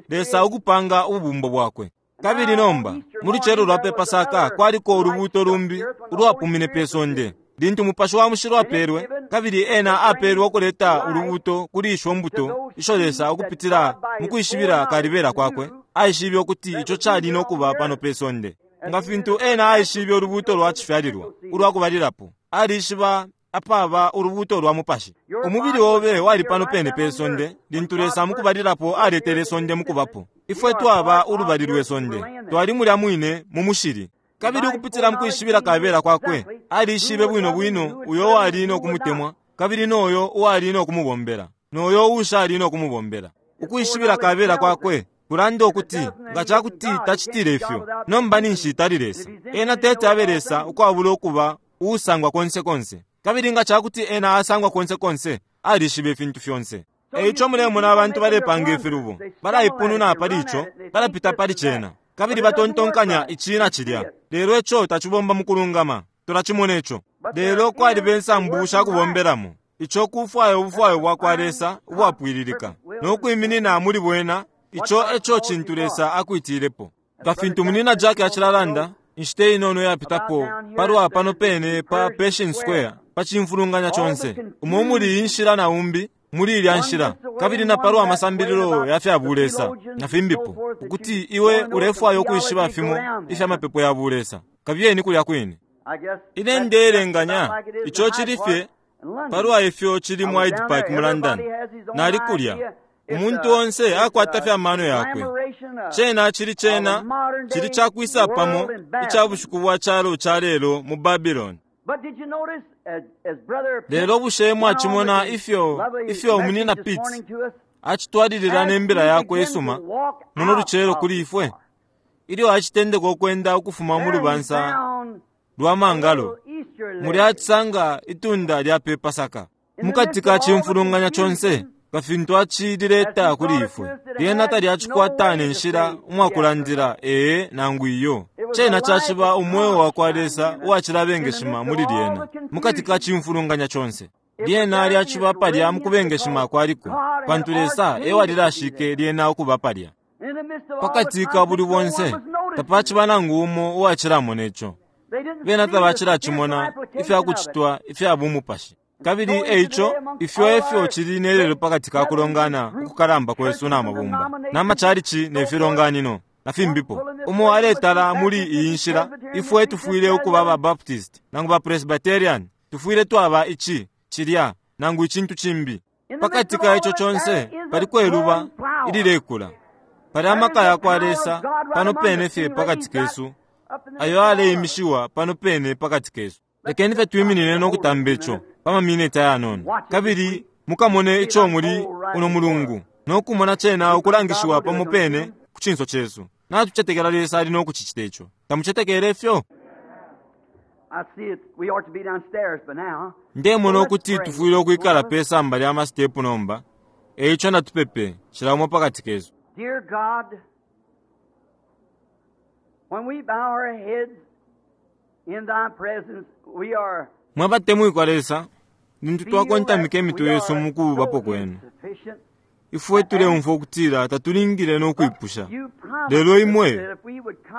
Lesa ukupanga ububumbo bwakwe. Kabili nomba, mu lucelo lwa pe Pasaka kwaliko ulubuuto lumbi ulwapumine pe sonde, lintu Mupashi wa Mushilo apeelwe, Kabili ena apelwe ukuleta ulubuto kuli isho mbuto isho Lesa ukupitila mukwishibila kalibela kwakwe aishibe ukuti ico cali no kuba pano pe sonde. Nga fintu ena aishibe ulubuto lwa cifyalilwa ulwa kubalilapo, alishiba apaba ulubuto lwa mupashi. Umubili obe wali pano pene pe sonde lintu Lesa mukubalilapo aletele sonde mukubapo. Ifwe twaba ulubali lwe sonde, twali mulya mwine mu mushili. Kabili ukupitila mukwishibila kabela kwakwe, alishibe bwino bwino uyo uwali no kumutemwa kabili noyo uwali no kumubombela, noyo uushali no kumubombela. Ukwishibila kabela kwakwe kulanda ukuti nga ca kuti tacitile ifyo, nomba ninshi tali Lesa. Ena tete abe Lesa ukwabula ukuba uusangwa konse konse. Kabili nga ca kuti ena asangwa konse konse, alishiba ifintu fyonse. E ico mulemona abantu balepanga ifilubo, balaipununa pali ico, balapita pali cena, kabili batontonkanya ici na cilya. Lelo ico tacibomba mukulungama, tulacimona ico. Lelo kwaliba insambu sha kubombelamo. Ico kufwaya ubufwayo bwakwa Lesa ubwapwililika, no kwiminina muli bwena, ico eco cintu Lesa akwitilepo. Nga fintu Munyina Jack acilalanda, inshita inono iyapitapo, palwa pano pene pa Pershing Square, pa cimfulunganya conse, umo muli iyi nshila na umbi muli ilya nshila, kabili na palwa masambililo ya fya bulesa na fimbipo, ukuti iwe ulefwaya ukwishiba fimo ifya mapepo ya bulesa, kabiyeni kulya kwine. Ine ndeelenganya ico cili fye palwa ifyo cili mu Hyde Park mu London. Nali kulya. Umuntu onse akwata fye amano yakwe. Cena cili cena cili cakwisa pamo ica bushiku bwa calo ca lelo mu Babylon. Lelo bushe mwacimona ifyo ifyo Munyina Pitts acitwalilila ne mbila yakwe isuma muno lucelo kuli ifwe? Ilyo acitendeka ukwenda ukufuma mu lubansa lwa mangalo, mulya acisanga itunda lya pe Pasaka. Mukati ka cimfulunganya conse, nga fintu acilileta kuli ifwe, lyena talyacikwata ne nshila umwakulandila ee nangu iyo. Cena caciba umweo wakwa Lesa uwacilabengeshima muli lyena, mukati ka cimfulunganya conse. Lyena lyaciba palya mukubengeshima kwaliko, pantu Lesa ewalilashike lyena ukuba palya. Pakati ka buli bonse, tapaciba nangu umo uwacilamona ico. Bena tabacilacimona ifyakucitwa ifya bumupashi. Kabili eico, ifyo efyo cili nelelo pakati ka kulongana ukukalamba kwesu na mabumba, na machalichi ne filonganino, na fimbipo. Umo aletala muli iyi nshila, ifwe tufwile ukuba ba Baptist, nangu ba Presbyterian, tufwile twaba ici, cilya, nangu icintu cimbi. Pakati ka ico conse, paliko iluba ililekula. Pali amaka yakwa Lesa pano pene fye pakati kesu, ayo aleimishiwa pano pene pakati kesu. Lekeni fye twiminine no kutamba ico pa maminiti ayanono, kabili mukamone ico muli uno mulungu, no kumona cena ukulangishiwa pamo pene ku cinso cesu. Natucetekela Lesa ali no kucicita ico. Tamucetekele ifyo? Ndemona ukuti tufwile ukwikala pe samba lya masitepu nomba, e ico natupepe, cila umo pakati kesu. Dear God, when we bow our heads in thy presence, we are Mwe batemwikwa Lesa, lintu twakontamika imitwe yesu mu kubapo kwenu, ifwe tuleumfwa ukutila tatulingile no kwipusha. Lelo imwe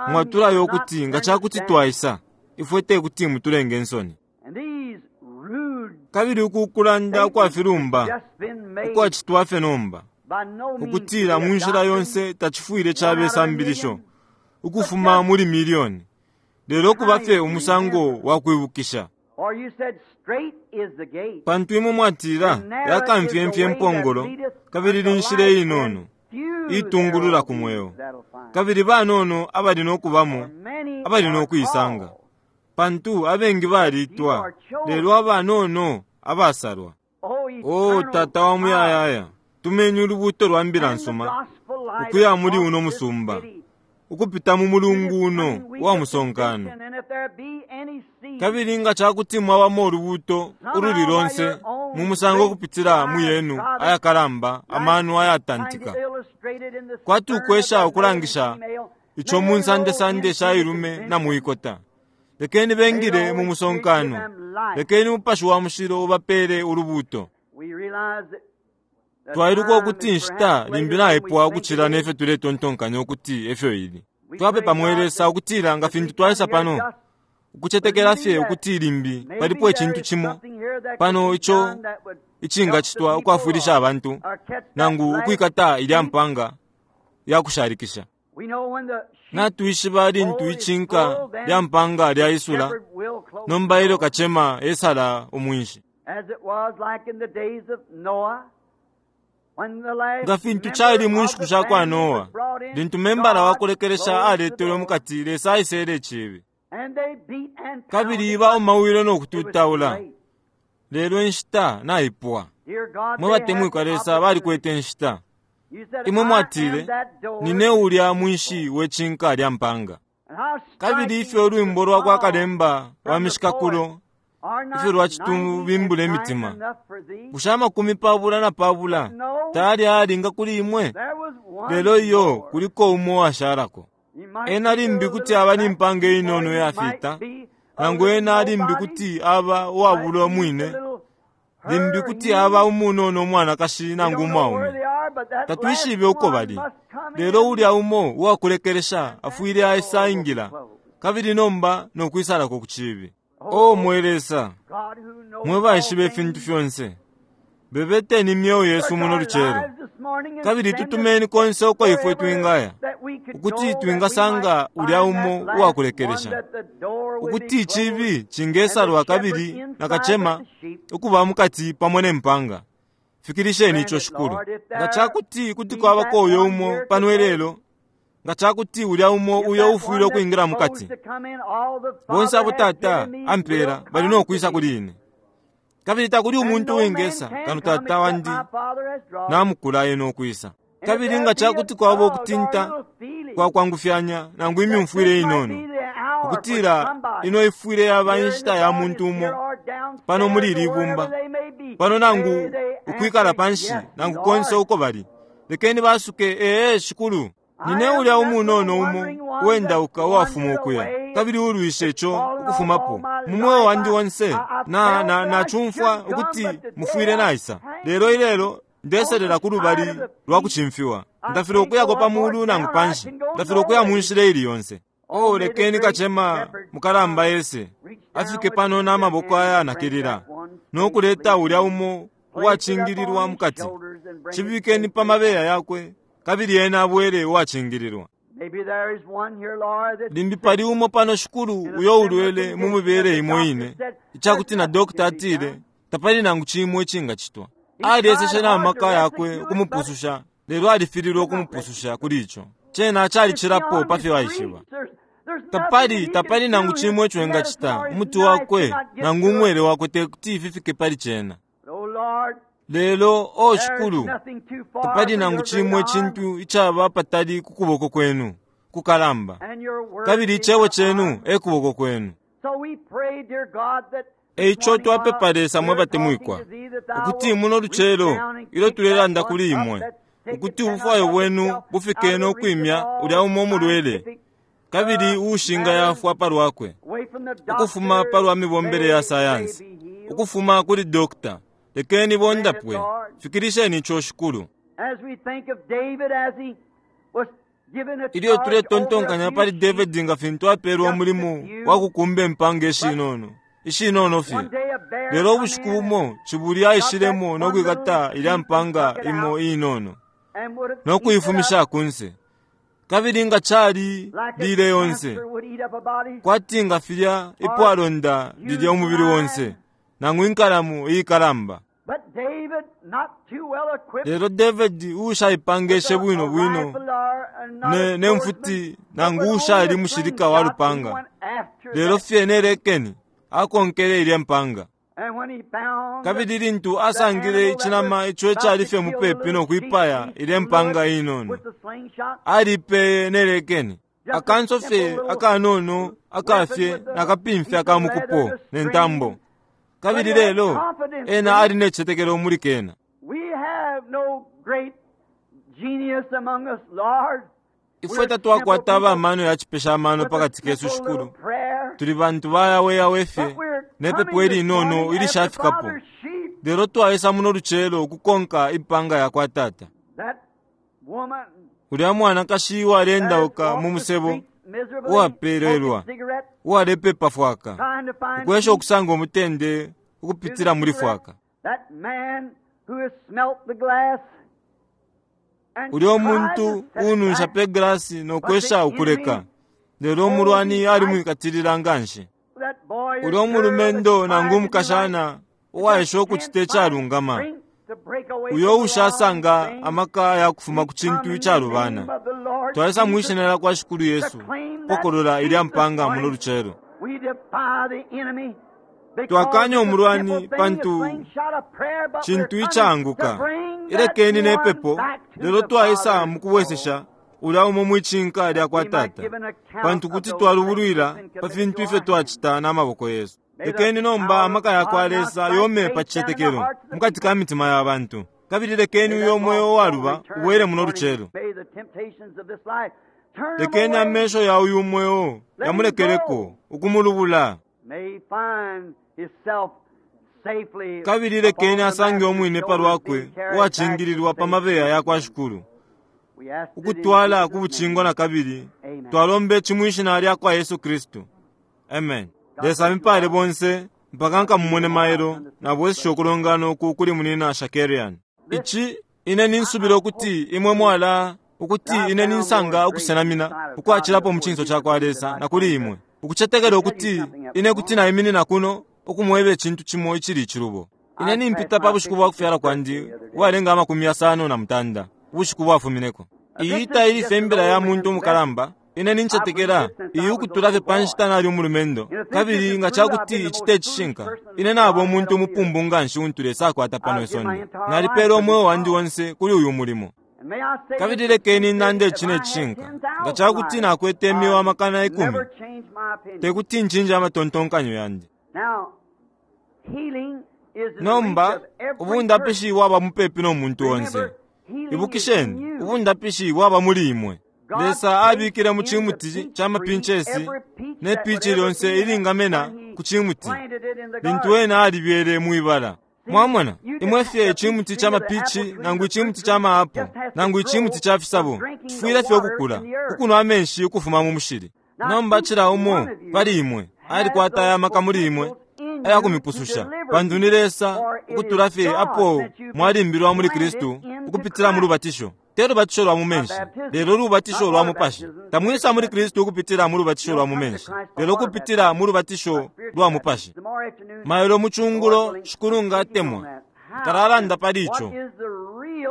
mwatulaya ukuti nga ca kuti twaisa, ifwe te kuti mutulenge insoni. Kabili uku kulanda ukwa filumba ukwacitwa fye nomba, ukutila mu nshila yonse tacifwile cabe sambilisho ukufuma muli milioni, lelo kuba fye umusango wa kwibukisha. Pantu imwe mwatila yakamfyemfye impongolo, kabili ni nshila inono itungulula ku mweo, kabili banono abali no kubamo abali no kuisanga. Pantu abengi balitwa, lelo abanono abasalwa. O Tata wa muyayaya, tumeni ulubuto lwa mbila nsuma ukuya muli uno musumba, ukupita mu mulungu uno wa musonkano. Kabili nga ca kuti mwabamo ulubuto ululi lonse mu musango ukupitila mu yenu ayakalamba amano ayatantika, kwati ukwesha ukulangisha ico mu nsandesande sha ilume na muikota, lekeni bengile mu musonkano, lekeni Mupashi wa Mushilo ubapele ulubuto. Twailuka ukuti inshita limbi naipwa ukucila nefyo tuletontonkanya ukuti efyo ili. Twapepa mwe Lesa ukutila nga fintu twaisa pano, ukucetekela fye ukuti limbi palipo icintu cimo pano ico icingacitwa ukwafwilisha abantu nangu ukwikata ilya mpanga yakushalikisha. Natwishiba lintu icinka lya mpanga lyaisula, nomba ilyo kacema esala umwinshi. Nga fintu cali mu nshiku sha kwa Noa, lintu membala wa kulekelesha aletelwe mu kati, Lesa aisele icibi. Kabili baumawile no kututaula, lelo inshita naipwa. Mwe batemwikwa Lesa balikwete inshita. Imwe mwatile, nine ulya mwinshi we cinka lya mpanga. Kabili ifyo ulwimbo lwa kwa kalemba wa mishikakulo ifyo lwacitubimbula imitima. Bushe 25 tayali ayalinga kuli imwe? Lelo iyo kuliko umo uwashalako. Ena limbi kuti aba ni mpanga inono iyafita, nangu ena limbi kuti aba uwabulwa umwine, limbi kuti aba umunono umwanakashi nangu umwaume. Tatwishibe uko bali, lelo ulya umo uwakulekelesha afwile aisa ingila, kabili nomba no kwisalako ku cibi. O mwe Lesa, mwe baishiba ifintu fyonse, bebeteni imyeo yesu muno lucelo, kabili tutumeni konse uko ifwe twingaya, ukuti twingasanga ulya umo uwakulekelesha, ukuti icibi cingesalwa kabili na kacema ukuba mukati pamo ne mpanga. Fikilisheni ico, Shikulu. Nga cakuti kuti kwabako uyo umo pano ilelo, nga cakuti ulya umo uyo ufwile ukwingila mukati, bonse abo Tata ampela bali no kwisa kuli ine. Kabili takuli umuntu uwingesa kano Tata wandi namukula ena ukwisa. Kabili nga cakuti kwaba ukutinta kwa kwangufyanya nangu imyumfwile inono, ukutila ino ifwile yaba inshita ya muntu umo pano muli ili ibumba pano nangu ukwikala panshi nangu konse uko bali, lekeni basuke, ee Shikulu, nine ulya umunono umo uwendauka uwafuma ukuya, kabili ulwishe ico ukufumapo mu mweo wandi onse. Na nacumfwa ukuti mufwile naisa, lelo ilelo ndeselela ku lubali lwa kucimfiwa. Ndafile ukuyako pa mulu nangu panshi, ndafile ukuya mu nshila ili yonse. O lekeni kacema mukalamba yese afike pano na maboko ayanakilila no kuleta ulya umo uwacingililwa mukati. Cibikeni pa mabeya yakwe, kabili ena abwele uwacingililwa. Limbi pali umo pano, Shikulu, uyo ulwele mu mibele imo ine, icakuti na dokta atile tapali nangu cimo icingacitwa. Alyeseshe na maka yakwe ukumupususha, lelo alifililwe ukumupususha kuli ico. Cena calicilapo pa fyo aishiba. Tapali nangu cimo ico engacita. Umuti wakwe nangu umwele wakwe tekuti ififike pali cena. Lelo, o Shikulu, tapali nangu cimo icintu icaba patali ku kuboko kwenu kukalamba, kabili icebo cenu e kuboko kwenu. Eico twapepa Lesa mwe batemwikwa, ukuti muno lucelo ilyo tulelanda kuli imwe, ukuti ubufwayo bwenu bufike no kwimya ulya umo umulwele kabili uushinga yafwa palwakwe, ukufuma palwa mibombele ya sayansi, ukufuma kuli dokta. Lekeni bondapwe. Fikilisheni ico, Shikulu. Ilyo tuletontonkanya pali Davidi nga fintu apelwe umulimo wa kukumba impanga ishinono ishinono fye, lelo ubushiku bumo cibuli aishilemo no kwikata ilya mpanga imo inono no kuifumisha kunse, kabili nga cali lile yonse, kwati nga filya ipwalonda lilya umubili wonse nangu inkalamu iikalamba. Lelo Davidi uushaipangeshe bwino bwino ne mfuti nangu uushali mushilika wa lupanga, lelo fye nelekeni akonkele ilya mpanga. Kabili lintu asangile icinama ico icali fye mupepi no kwipaya ilya mpanga inono, alipeye nelekeni. Akanso fye akanono akafye nakapimfya akamukupo ne ntambo. Kabili lelo ena ali necicetekelo muli kena. Ifwe tatwakwata abamano ya cipesha amano pakati kesu, Shikulu. Tuli bantu bayaweyawe fye nepepo ilinono ilishafikapo, lelo twaisa muno lucelo ukukonka impanga ya kwa Tata. Ulya mwanakashi uwalendauka mu musebo, uwapelelwa, uwalepepa fwaka, ukwesha ukusanga umutende ukupitila muli fwaka. Ulyo muntu uununsha pe glasi no kwesha ukuleka, lelo umulwani alimwikatilila nganshi. Ulyo mulumendo nangu umukashana uwaesha ukucita icalungama, uyo uushasanga amaka ya kufuma ku cintu icalubana, twaisa mwi Shina lyakwa Shikulu Yesu kupokolola ilya mpanga muno lucelo. Twakanya umulwani pantu cintu icaanguka. Ilekeni ne pepo, lelo twaisa mukubwesesha ulya umo mwicinka lya kwa Tata, pantu kuti twalubulwila pa fintu ifyo twacita na maboko yesu. Lekeni nomba amaka ya kwa Lesa yome pa cicetekelo mukati ka mitima ya bantu, kabili lekeni uyo mweo uwaluba ubwele muno lucelo. Lekeni amesho ya uyu mweo yamulekeleko ukumulubula, kabili lekeni asange umwine palwakwe uwacingililwa pa mabeya ya kwa Shikulu, ukutwala ku bucingo na kabili. Twalombe ci mwi Shina lya kwa Yesu Kristu. Amen. Lesa amipale bonse mpaka nkamumone mailo nabwesesha ukulongana uku kuli munina Shakarian. Ici ine ninsubila ukuti imwe mwala ukuti ine ninsanga ukusenamina ukwacilapo mu cinso ca kwa Lesa na kuli imwe, ukucetekela ukuti ine kuti naiminina kuno ukumweba icintu cimo icili icilubo. Ine nimpita pa bushiku bwa kufyala kwandi uwalenga 59 ubushiku bwafumineko. Iyi taili fye imbila ya muntu umukalamba. Ine nincetekela iyi ukutula fye pa nshita nali umulumendo, kabili nga ca kuti ici te cishinka, ine naba umuntu umupumbu nganshi untu Lesa akwata pano isonde. Nalipeela umweo wandi onse kuli uyu mulimo. Kabili lekeni nande ici ne cishinka, nga ca kuti nakwete imyeo 10,000, te kuti ncinje amatontonkanyo yandi. Nomba ubundapishi bwaba mupepi no muntu onse. Ibukisheni, ubundapishi bwaba muli imwe. Lesa abikile mu cimuti ca mapinchesi ne pichi lyonse ilingamena ku cimuti lintu ena alibyele mwibala. Mwamona, imwe fye icimuti ca mapichi nangu icimuti ca maapo nangu icimuti ca fisabo cifwile fye ukukula ukunwa amenshi ukufuma mu mushili. Nomba cila umo pali imwe alikwata aya maka muli imwe aya kumipususha, pantu ni Lesa ukutula fye apo mwalimbilwa muli Kristu ukupitila mu lubatisho. Te lubatisho lwa mu menshi, lelo lubatisho lwa mupashi. Tamwisa muli Kristu ukupitila mu lubatisho lwa mu menshi, lelo ukupitila mu lubatisho lwa mupashi. Mailo mucungulo, Shikulu nga atemwa, nkalalanda pali ico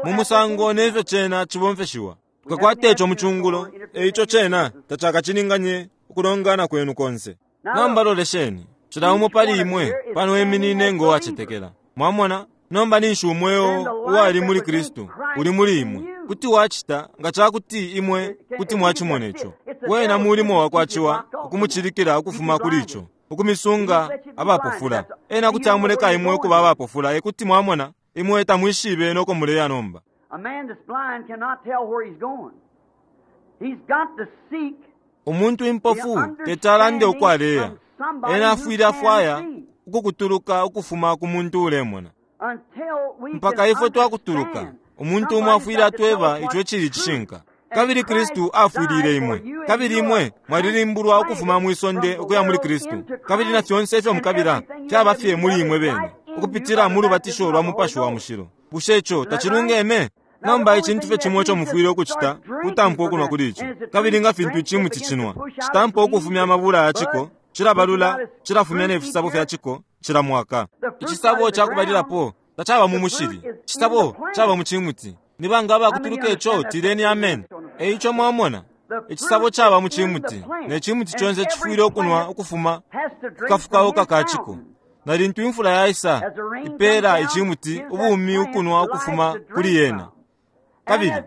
mu musango nefyo cena cibomfeshiwa. Tukakwata ico mucungulo, eico cena tacakacilinganye ukulongana kwenu konse. Nomba lolesheni, cila umo pali imwe pano eminine ngo wacetekela. Mwamona? Nomba ninshi umweo uwali muli Kristu uli muli imwe. Kuti wacita nga ca kuti imwe kuti mwacimona ico. Wena mulimo wakwa ciwa ukumucilikila ukufuma kuli ico, ukumisunga abapofula. Ena kuti amuleka imwe ukuba abapofula, ekuti mwamona imwe tamwishibe noko muleya nomba. Umuntu impofu teti alande uko aleya. Ena afwile afwaya ukukutuluka ukufuma ku muntu ulemona. Mpaka ifwe twakutuluka, umuntu umo afwile atweba ico icili icishinka. Kabili Kristu afwilile imwe, kabili imwe mwalilimbulwa ukufuma mwi sonde ukuya muli Kristu, kabili na fyonse ifyo mukabila fyaba fye muli imwe bene ukupitila mu lubatisho lwa Mupashi wa Mushilo. Bushe ico tacilungeme? Nomba icintu fye cimo ico mufwile ukucita kutampa ukunwa kuli ico. Kabili nga fintu icimuti cinwa, citampa ukufumya amabula ya ciko, cilabalula, cilafumya ne fisabo fya ciko cila mwaka. Icisabo ca kubalilapo tacaba mu mushili, icisabo caba mu cimuti. Ni banga abakutuluka ico? Tileni amen. Eico mwamona, icisabo caba mu cimuti, ne cimuti conse cifwile ukunwa ukufuma ku kafukauka ka ciko. Na lintu imfula yaisa, ipeela icimuti ubumi ukunwa ukufuma kuli yena. Kabili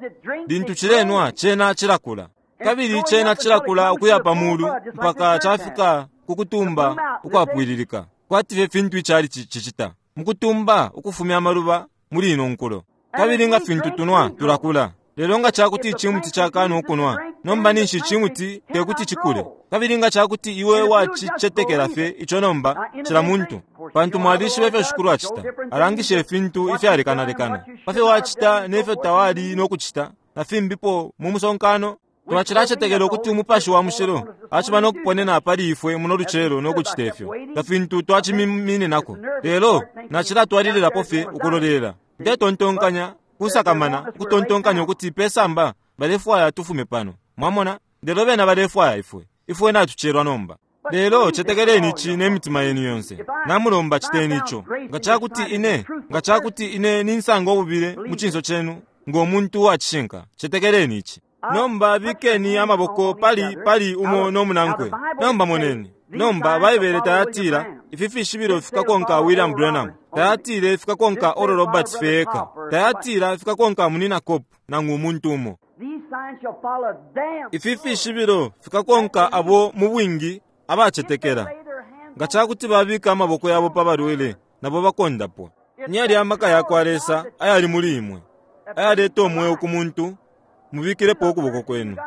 lintu cilenwa, cena cilakula. Kabili cena cilakula ukuya pa mulu mpaka cafika ku kutumba ukwapwililika, kwati fye fintu icali cicita mukutumba ukufumya amaluba muli ino nkulo. Kabili nga fintu tunwa, tulakula. Lelo nga cakuti icimuti cakana ukunwa, nomba ninshi icimuti tekuti cikule. Kabili nga cakuti iwe wacicetekela fye ico nomba, cila muntu, pantu mwalishiba ifyo Shikulu acita, alangisha ifintu ifyalekanalekana pa fyo wacita ne fyo tawali no kucita, na fimbipo mu musonkano. Twacilacetekela ukuti Umupashi wa Mushilo aciba no kuponena pali ifwe muno lucelo no kucita ifyo, nga fintu twacimininako. Lelo nacilatwalililapo fye ukulolela. Ndetontonkanya kusakamana ukutontonkanya ukuti pe samba balefwaya tufume pano. Mwamona? Lelo bena balefwaya ifwe. Ifwe natucelwa nomba. Lelo cetekeleni ici ne mitima yenu yonse. Namulomba citeni ico. Nga cakuti ine, nga cakuti ine ninsanga ububile mu cinso cenu ngo muntu uwa cishinka, cetekeleni ici. Nomba bikeni amaboko pali pali umo no munankwe. Nomba moneni. Nomba Baibele tayatila ifi fishibilo fikakonka William Branham. Tayatile fikakonka Oral Roberts fye eka. Tayatila fikakonka Munina Kopp nangu umuntu umo. Ifi fishibilo fikakonka abo mu bwingi abacetekela. Nga ca kuti babika amaboko yabo pa balwele, nabo bakondapwa. Ni yalya amaka ya kwa Lesa ayali muli imwe, ayaleta umweo ku muntu, mubikilepo ukuboko kwenu.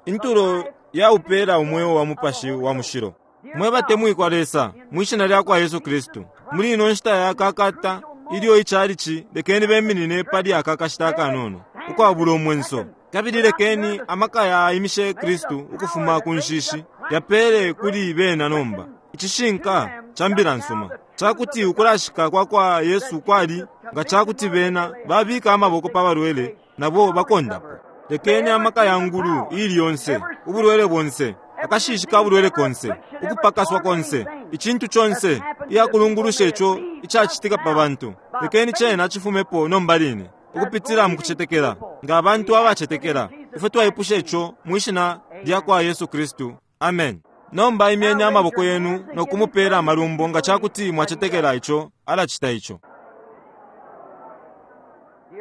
Intulo ya upeela umweo wa Mupashi wa Mushilo. Mwe batemwikwa Lesa, mwi Shina lya kwa Yesu Kristu, muli ino nshita ya kakata ilyo ichalichi, lekeni beminine pali aka kashita akanono, ukwabula umwenso, kabili lekeni amaka yaimishe Kristu ukufuma ku nshishi yapeele kuli bena nomba icishinka ca mbila nsuma cakuti ukulashika kwa kwa Yesu kwali nga cakuti bena babika amaboko pa balwele nabo bakondapwa. Lekeni amaka ya ngulu iili yonse, ubulwele bonse, akashishi ka bulwele konse, ukupakaswa konse, icintu conse iyakulungulusha ico icacitika pa bantu, lekeni cena cifumepo nomba line, ukupitila mu kucetekela, nga abantu abacetekela. Ifwe twaipusha ico mwi Shina lyakwa Yesu Kristu. Amen. Nomba imyeni amaboko yenu no kumupela amalumbo nga cakuti mwacetekela ico alacita ico.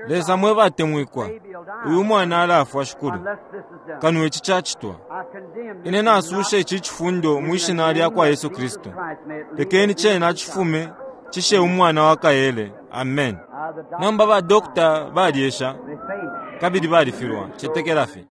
Lesa mwe batemwikwa, uyu mwana alafwa, Shikulu, kano ici cacitwa. Ine nasusha ici cifundo mwi Shina lyakwa Yesu Kristu. Lekeni cena cifume cishe umwana wa kaele. Amen. Nomba ba doctor balyesha kabili balifilwa. Cetekela fye.